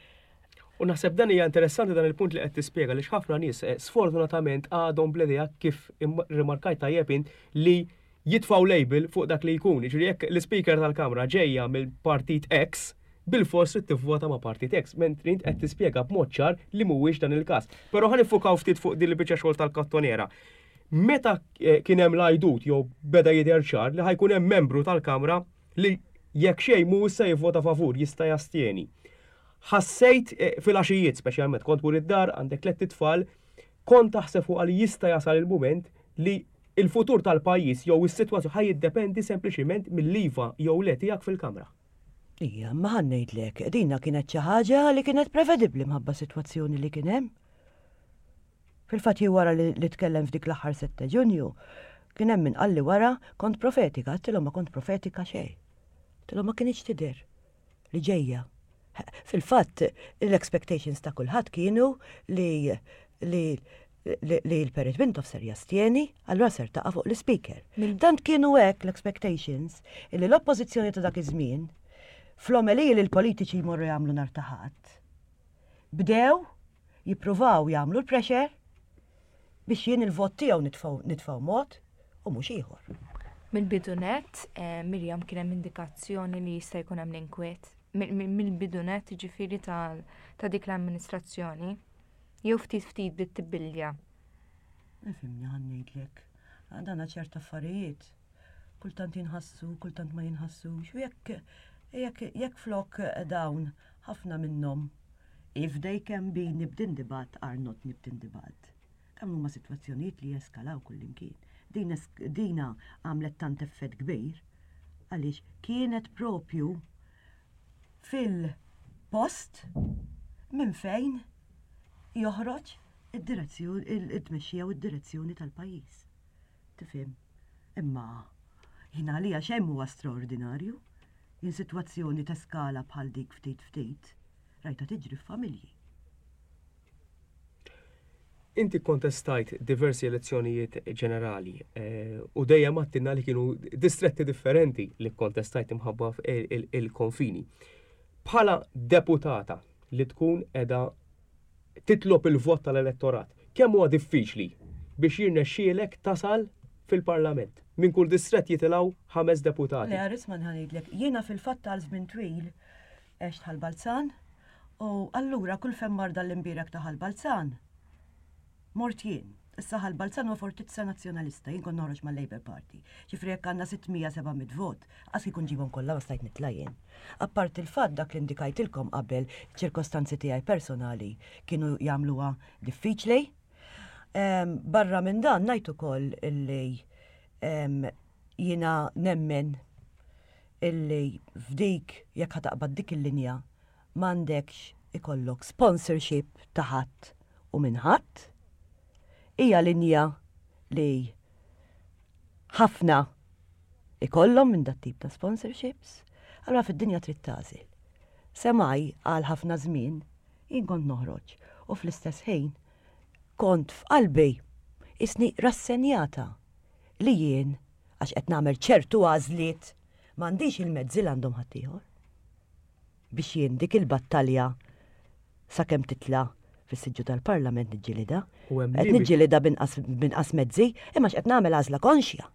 U naħseb dan hija interessanti dan il-punt li qed tispjega li ħafna nies eh, sfortunatament għadhom bl-idea kif rimarkajt tajjeb int li jitfgħu label fuq dak li jkun. Jiġifieri jekk l-Ispeaker tal-Kamra ġejja mill-Partit X, bilfors trid tivvota ma' Partit X, mentri int qed tispjega b'mod ċar li mhuwiex dan il-każ. Però ħa niffukaw ftit fuq din il-biċċa xogħol tal-kattoniera. Meta eh, kien hemm l-għajdut jew beda jidher ċar li ħajkun hemm membru tal-Kamra li jekk xejn mhu issa jivvota favur jista' jastjeni. Ħassejt eh, fil-għaxijiet speċjalment kont mur id-dar għandek tlett itfal, kont taħseb fuq li jista' jasal il-mument li il-futur tal-pajjiż jew is-sitwazzjoni ħa jiddependi sempliċiment mill-iva jew le tiegħek fil-Kamra. Ija, imma ħa ngħidlek, dina kienet xi ħaġa li kienet prevedibbli mħabba sitwazzjoni li kien hemm. Fil-fatt jien wara li tkellem f'dik l-aħħar 7 Ġunju, kien hemm min qalli wara kont profetika, għedtilhom ma kont profetika xejn. Għedtilhom ma kinitx tidher. li ġejja. Fil-fatt, l-expectations ta' kulħadd kienu li li li l-Perit Mintoff ser jastjeni, allura ser taqa' fuq l-Speaker. Tant kienu hekk l-expectations illi l-oppożizzjoni ta' dak iż-żmien fl-omeliji li l-politiċi jmorru jagħmlu nhar ta' Ħadd, bdew jippruvaw jagħmlu l-pressure biex jien il-vot tiegħu nitfgħu mod u mhux ieħor. Mill-bidu nett, eh, Mirjam kien hemm indikazzjoni li jista' jkun hemm l-inkwiet. Mill-bidu nett ġifieri ta' dik l-amministrazzjoni. Jew ftit ftit bdiet tibbilja. Nifhimni ħa ngħidlek. Dana ċerta affarijiet kultant jinħassu, kultant ma jinħassux. U jekk jekk jekk flok dawn ħafna minnhom if they can be nipped in the bud are not nipped in the bud. Dawn huma sitwazzjonijiet li jeskalaw kullimkien. Din dina għamlet tant effett kbir għaliex kienet propju fil-post minn fejn joħroġ id-direzzjoni it-tmexxija u d-direzzjoni tal-pajjiż. Tifhem? Imma jien għalija xejn mhuwa straordinarju. Jien sitwazzjoni teskala bħal dik ftit ftit rajtha tiġri f'familji. Inti kkontestajt diversi elezzjonijiet ġenerali eh, u dejjem għattinna li kienu distretti differenti li kkontestajt imħabba il-konfini. Bħala deputata li tkun edha titlob il-vot tal-elettorat, kemm huwa diffiċli biex jirnexxielek tasal fil-Parlament? Minn kull distrett jitilgħu ħames deputati. Le, Arisman ħa ngħidlek, jiena fil-fatt għal żmien twil għext Ħal Balzan u allura kull fejn mar dan l-imbierek ta' Ħal Balzan mort jien. Issa Ħal Balzan huwa fortizza Nazzjonalista, jien kont noħroġ mal-Labour Party. Ġifieri jekk għandna 600, 700 vot, qas kieku nġibhom kollha ma stajt nitla' jien. Apparti l-fatt dak li indikajtilkom qabel, ċirkostanzi tiegħi personali kienu jagħmluha diffiċli. Barra minn dan ngħid ukoll illi jiena nemmen illi f'dik jekk ħa taqbad dik il-linja m'għandekx ikollok sponsorship ta' ħadd u minn ħadd. Hija linja li ħafna ikollhom minn dat tip ta' sponsorships, allura fid-dinja trid tagħżel. Semaj għal ħafna żmien jien kont noħroġ u fl-istess ħin kont f'qalbi isni rassenjata li jien għax qed nagħmel ċertu għażliet m'għandix il-mezzi li għandhom ħaddieħor biex jien dik il-battalja sakemm titla' fis-siġġu tal-Parlament niġġielidha. Qed niġġielidha b'inqas mezzi, imma x'qed nagħmel għażla konxja.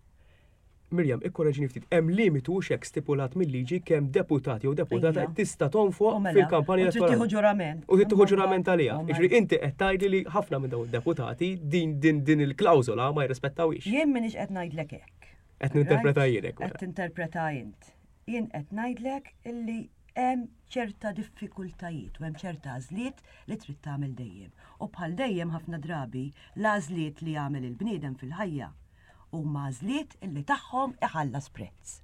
Mirjam, ikkoreġini ftit, hemm limitu hux hekk stipulat mil-liġi kemm deputat jew deputata tista' tonfoq mela, fil-kampanja elettorali. U tieħu ġurament. U tieħu ġurament għaliha. Jiġifieri inti qed tgħidli li ħafna minn dawn id-deputati din din din il-klawżola ma jirrispettawhiex. Jien m'iniex qed ngħidlek hekk. Qed ninterpreta jien hekk. Qed mela. tinterpreta int. Jien qed ngħidlek illi hemm ċerta diffikultajiet u hemm ċerta għażliet li trid tagħmel dejjem. U bħal dejjem ħafna drabi l-għażliet li jagħmel il-bniedem fil-ħajja Huma għażliet illi tagħhom iħallas prezz.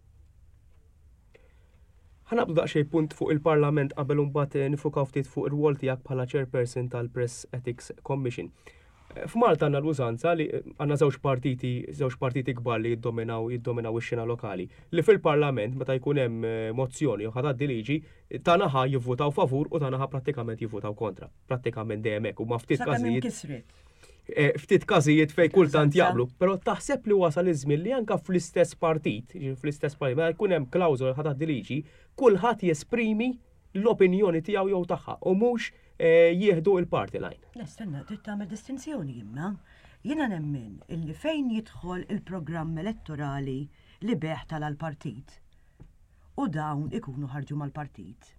Ħa naqbdu daqsxejn punt fuq il-Parlament qabel imbagħad eh, nifukaw ftit fuq ir-rwol tiegħek bħala chairperson tal-Press Ethics Commission. F'Malta għandna l-użanza li għandna żewġ partiti, żewġ partiti kbar li jiddominaw jiddominaw ix-xena lokali, li fil-Parlament meta jkun hemm eh, mozzjoni jew ħa liġi, ta' naħa jivvutaw favur u ta' naħa prattikament jivvutaw kontra. Prattikament dejjem hekk u ma ftit każijiet. Eh, ftit każijiet fej kultant jaqblu, però taħseb li wasal iż-żmien li anka fl-istess partit, fl-istess partit, meta jkun hemm klawżola ħa tgħaddi liġi, kulħadd jesprimi l-opinjoni tiegħu jew tagħha u mhux eh, jieħdu il-party line. Le, stenna, trid tagħmel distinzjoni imma. Jiena nemmen illi fejn jidħol il-programm elettorali li beħ tal-partit u dawn ikunu ħarġu mal-partit.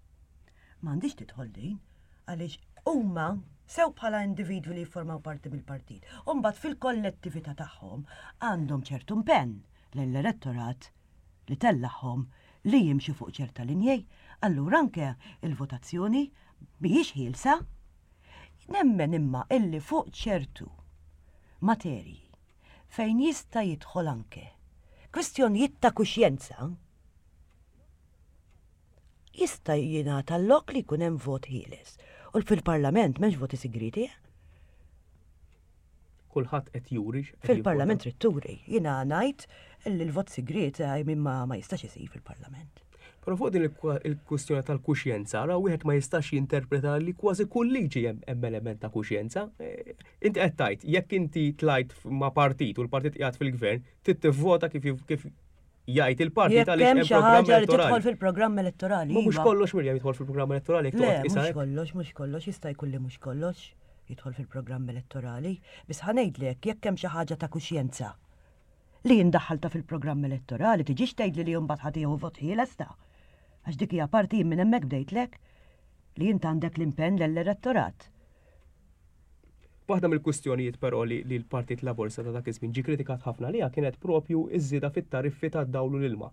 M'għandix tidħol din għaliex huma sew bħala individwi li jiffurmaw parti mill-partit, u mbagħad fil-kollettività tagħhom għandhom ċertu impenn lejn l-elettorat li tellagħhom li jimxu fuq ċerta linji, allura anke il-votazzjoni mhijiex ħielsa. Nemmen imma illi fuq ċertu materji fejn jista' jidħol anke kwistjonijiet ta' kuxjenza, jista' jingħata l-lok li jkun hemm vot ħieles. U fil-Parlament m'hemmx voti sigrieti, eh? Kulħadd qed juri. Fil-Parlament trid turi. Jiena ngħid li l-vot sigriet eh, minn ma, ma jistax isir fil-Parlament. Però fuq din il-kwistjoni tal-kuxjenza, ra wieħed ma jistax jinterpreta li kważi kull liġi hemm element ta' kuxjenza. Eh, inti qed tgħid, jekk inti tlajt ma' partit u l-partit qiegħed fil-gvern, trid tivvota kif kif jgħid il-partit għaliex hemm xi ħaġa li tidħol fil-programm elettorali. Mhux iva. kollox Mirjam jidħol fil-programm elettorali. Le, mhux kollox, mhux kollox, jista' jkun li mhux kollox jidħol fil-programm elettorali. Biss ħa ngħidlek jekk hemm xi ħaġa ta' kuxjenza li jindaħħalta fil-programm elettorali, tiġix tgħidli li mbagħad ħa tieħu vot ħieles ta' għax dik hija parti jien minn hemmhekk bdejtlek li int għandek l-impenn l-elettorat. Waħda mill-kwistjonijiet però li l-Partit Laburista ta' dak iż-żmien ġie kritikat ħafna għaliha kienet propju ż-żieda fit-tariffi tad-dawl u l-ilma.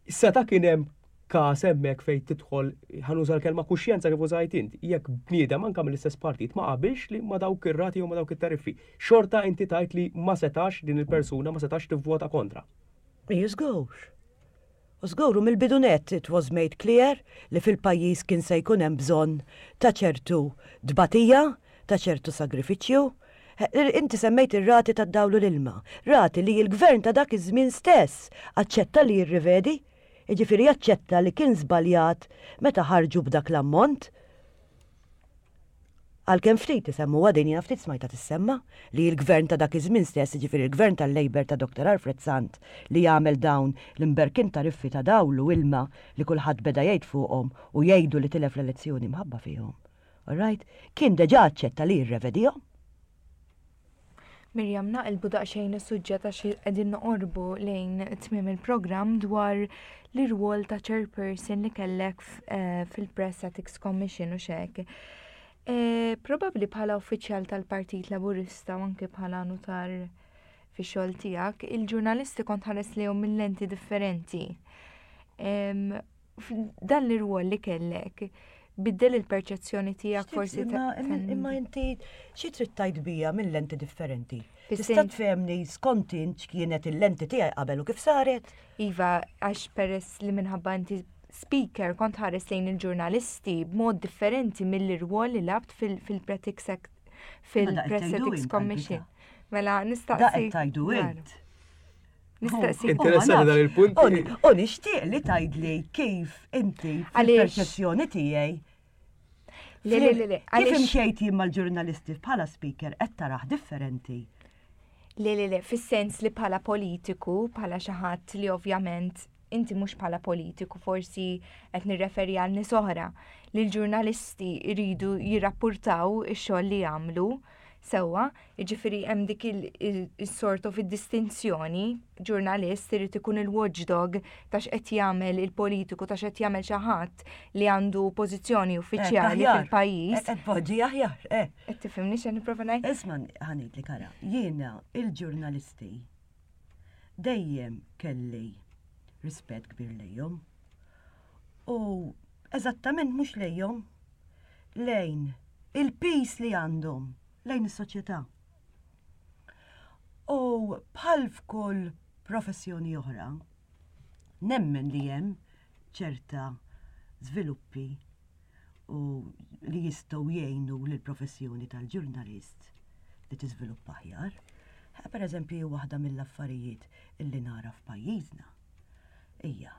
Seta' kien hemm każ hemmhekk fejn tidħol, ħa nuża l-kelma kuxjenza kif użajt int, jekk bniedem anke mill-istess partit ma qabilx li ma' dawk ir-rati jew ma' dawk it-tariffi. Xorta inti tgħid li ma setax din il-persuna ma setax tivvota kontra. Iju żgur. U żgur u mill-bidu nett it was made clear li fil-pajjiż kien se jkun hemm bżonn ta' ċertu tbatija, ta' ċertu sagrifiċċju. Inti semmejt ir-rati tad-dawl u l-ilma, rati li l-Gvern ta' dak iż-żmien stess aċċetta li jirrivedi, jiġifieri aċċetta li kien żbaljat meta ħarġu b'dak l-ammont. Għalkemm ftit isemmuha din jiena ftit smajtha tissemma, li l-Gvern ta' dak iż-żmien stess, jiġifieri l-Gvern tal-Labour ta' Dr. Alfred Sant li għamel dawn l-imberkin tariffi ta' dawl u ilma li kulħadd beda jgħid fuqhom u jgħidu li tilef l-elezzjoni mħabba fihom. All right? Kien deġà aċċetta li jirrevedihom. Miriam, naqilbu daqsxejn is-suġġett għax qegħdin noqorbu lejn tmiem il-programm dwar l-irwol ta' chairperson li kellek eh, fil-Press Ethics Commission u xek. Eh, probabbli bħala uffiċjal tal-Partit Laburista u anke bħala nutar fi xogħol tiegħek, il-ġurnalisti kont ħares lejhom minn lenti differenti. Dan l-irwol li kellek, biddel il-perċezzjoni tiegħek forsi. Imma inti xi trid tgħid bija minn lenti differenti? Tista' tfehmni skont int x'kienet il-lenti tiegħi qabel u kif saret? Iva, għax peress li minħabba inti speaker kont ħares lejn il-ġurnalisti b'mod differenti mill-irwol li labt fil-Press Ethics Commission. Mela nistaqsi. Da qed tgħidu int. Nistaqsi. Interessanti dan il-punt. U nixtieq li tgħidli kif inti fil-perċezzjoni tiegħi. Le, le, le, le. Kif imxejt jien mal-ġurnalisti bħala speaker qed taraħ differenti. Le, le, le, fis-sens li bħala politiku, bħala xi ħadd li ovvjament inti mhux bħala politiku forsi qed nirreferi għal nies oħra li l-ġurnalisti jridu jirrappurtaw ix-xogħol li jagħmlu Sewwa, jiġifieri hemm dik il-sort of id-distinzjoni, ġurnalist irid ikun il-watchdog ta' x'qed jagħmel il-politiku ta' x'qed jagħmel xi ħadd li għandu pożizzjoni eh, uffiċjali fil-pajjiż. Eh, qed poġġi aħjar, eh. Qed tifhimni x'qed nipprova ngħid? Isma' ħanidlek ara, jiena il-ġurnalisti dejjem kelli rispett kbir lejhom. U eżattament mhux lejhom, lejn il-piż li għandhom lejn is-soċjetà. U bħal f'kull professjoni oħra, nemmen li hemm ċerta żviluppi u li jistgħu jgħinu lill-professjoni tal-ġurnalist. li tiżviluppa aħjar. Per eżempju, waħda mill-affarijiet illi nara f'pajjiżna hija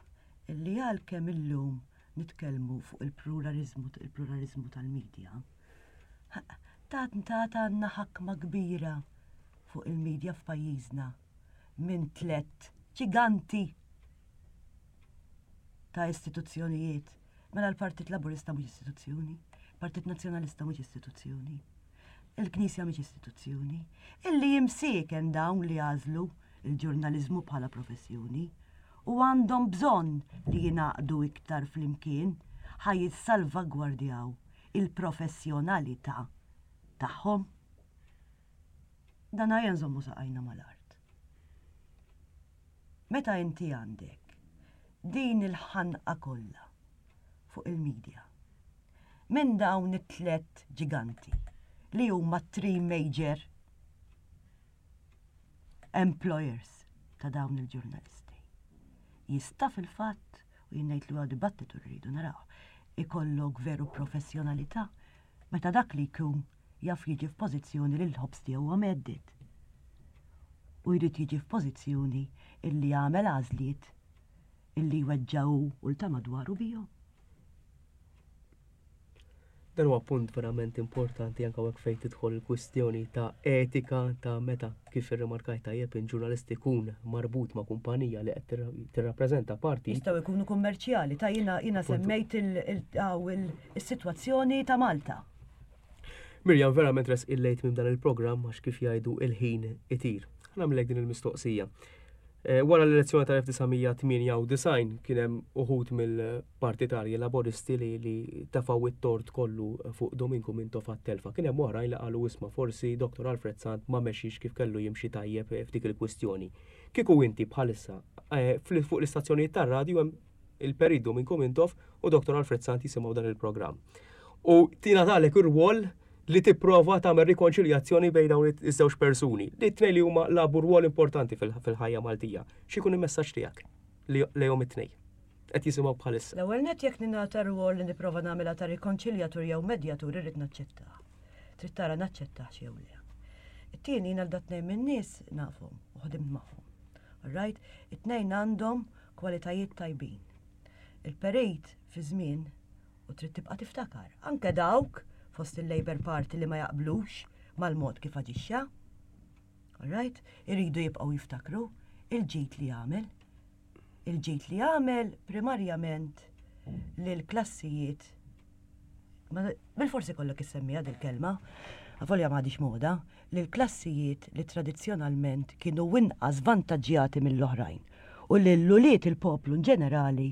illi għalkemm illum nitkellmu fuq il-pluraliżmu il-pluraliżmu tal-medja, tat tat għandna ħakma kbira fuq il-medja f'pajjiżna minn tlett ġiganti ta' istituzzjonijiet. Mela l-Partit Laburista mhux istituzzjoni, Partit Nazzjonalista mhux istituzzjoni, il-Knisja mhix istituzzjoni, illi jimsieken dawn li għażlu il-ġurnaliżmu bħala professjoni u għandhom bżonn li jingħaqdu iktar flimkien ħa jissalvagwardjaw il-professjonalità tagħhom. Dan ejja nżommu saqajna mal-art. Meta inti għandek din il-ħanqa kollha fuq il-media minn dawn it-tlet ġiganti li huma three major employers ta' dawn il-ġurnalisti. Jista' fil-fatt, u jien ngħid li huwa dibattitu rridu naraw, ikollok veru professjonalità meta dak li jkun jaf jiġi f'pożizzjoni li l-ħobż tiegħu huwa mhedded. U jrid jiġi f'pożizzjoni illi jagħmel għażliet illi jweġġa' hu u l ta' madwaru bihom. Dan huwa punt verament importanti anke hekk fejn tidħol il-kwistjoni ta' etika ta' meta kif irrimarkajt tajjeb in ġurnalist ikun marbut ma' kumpanija li qed tirrappreżenta parti. Jistgħu jkunu kummerċjali ta' jiena jiena semmejt is-sitwazzjoni ta' Malta. Mirjam, verament res il-lejt minn dan il-programm għax kif jgħidu il-ħin itir. Nagħmlek din il-mistoqsija. Eh, wara l-elezzjoni tal-1998 kien hemm uħud mill-partitarji laboristi li, li tafaw it-tort kollu fuq Dominku Mintoff għat-telfa. Kien hemm oħrajn li qalu isma' forsi Dr. Alfred Sant ma mexix kif kellu jimxi tajjeb f'dik il-kwistjoni. Kieku inti bħalissa eh, fuq l-istazzjonijiet tar-radju hemm il-Perit Dominku Mintoff u Dr. Alfred Sant jisimgħu dan il-programm. U tingħatalek ir-rwol li tipprova tagħmel rikonċiljazzjoni bejn dawn iż-żewġ persuni li t-tnejn li huma lagħbu rwol importanti fil-ħajja Maltija. X'ikun il-messaġġ tiegħek lejhom it-tnejn? Qed jisimgħu bħalissa. L-ewwel nett jekk ningħata rwol li nipprova nagħmilha ta' rikonċiljatur jew medjatur irrid naċċettah. Trid tara naċċettahx jew le. It-tieni jiena l tnejn min-nies nafhom u ħdimt magħhom. All right? It-tnejn għandhom kwalitajiet tajbin. Il-perit fi żmien u trid tibqa' tiftakar. Anke dawk fost il-Labour Party li ma jaqblux mal-mod kif aġixxa. Alright? Iridu jibqgħu jiftakru il-ġid li għamel. Il-ġid li għamel primarjament lil klassijiet bil-forsi kollok issemmija dil-kelma, avolja m'għadix moda, lil klassijiet li tradizzjonalment kienu inqas vantaġġjati mill-oħrajn u lil ulied il-poplu ġenerali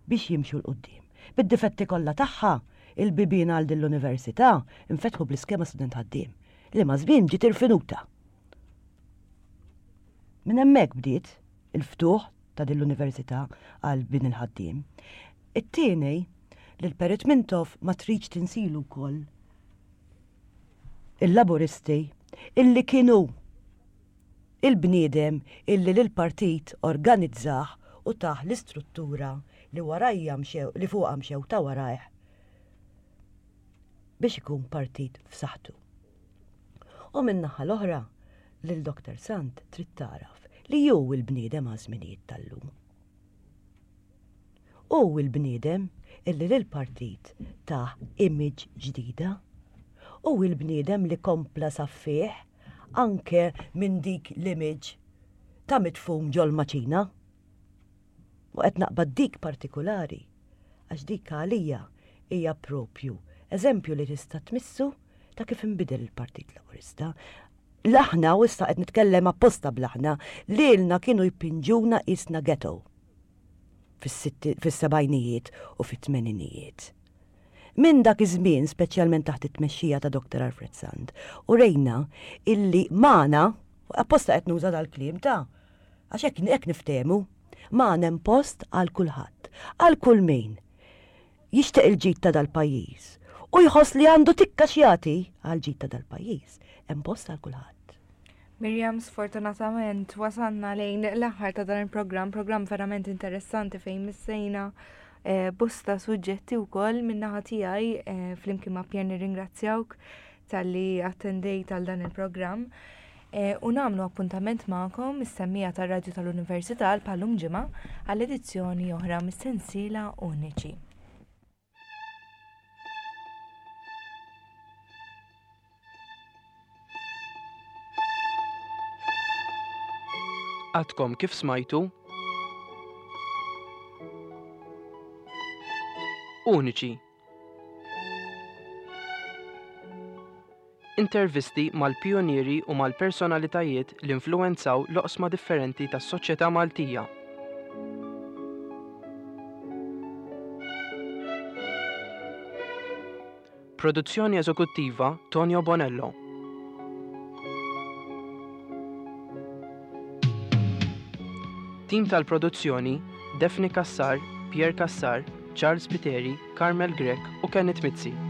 biex jimxu 'l quddiem. Bid-difetti kollha tagħha, il-bibien għal din l-università nfetħu bl-iskema student ħaddiem, li maż-żmien ġiet irfinuta. Minn hemmhekk bdiet il-ftuħ ta' din l-università għal bin il-ħaddiem. It-tieni, li l-Perit Mintoff ma tridx tinsilu wkoll il-Laburisti illi kienu il-bniedem illi lill-partit organizzah u tah l-istruttura li warajja mxew li fuqha mxew ta' warajh biex ikun partit f'saħħtu. U min-naħa l-oħra, lil Dr. Sant trid tagħraf li hu l-bniedem għaż-żminijiet tal-lum. Hu l-bniedem illi lill-partit tah image ġdida. Hu l-bniedem li kompla saffih anke minn dik l-image ta' mitfum ġol-maċina. U qed naqbad dik partikulari għax dik għalija hija propju eżempju li tista' tmissu ta' kif inbidel il-Partit Laburista. L-aħna, u issa qed nitkellem apposta bl-aħna, lilna kienu jpinġuna qisna ghetto fis-sebgħinijiet u fit-tmeninijiet. Minn dak iż-żmien, speċjalment taħt it-tmexxija ta' Dr. Alfred Sant, urejna illi magħna, apposta qed nuża dal-kliem ta' għax hekk hekk niftehmu, magħna hemm post għal kulħadd, għal kull min jixtieq il-ġid ta' dal-pajjiż u jħoss li għandu tikka x'jagħti għall-ġid ta' dal-pajjiż, hemm post għal kulħadd. Mirjam, sfortunatament wasalna lejn l-aħħar ta' dan il-programm, programm verament interessanti fejn missejna eh, bosta suġġetti wkoll min-naħa tiegħi eh, flimkien ma' Pierre nirringrazzjawk. talli attendejt għal dan il-programm. E, u nagħmlu appuntament magħkom is-semmija tar-Radju tal-Università għal bħallum ġimgħa għall edizzjoni oħra mis-sensiela Uniċi. Għadkom kif smajtu Uniċi Intervisti mal-pijunieri u mal-personalitajiet li influwenzaw l-oqsma differenti tas-soċjetà Maltija. Produzzjoni eżekuttiva Tonio Bonello. Tim tal-produzzjoni Daphne Cassar, Pierre Cassar, Charles Spiteri, Carmel Grech u Kenneth Mizzi.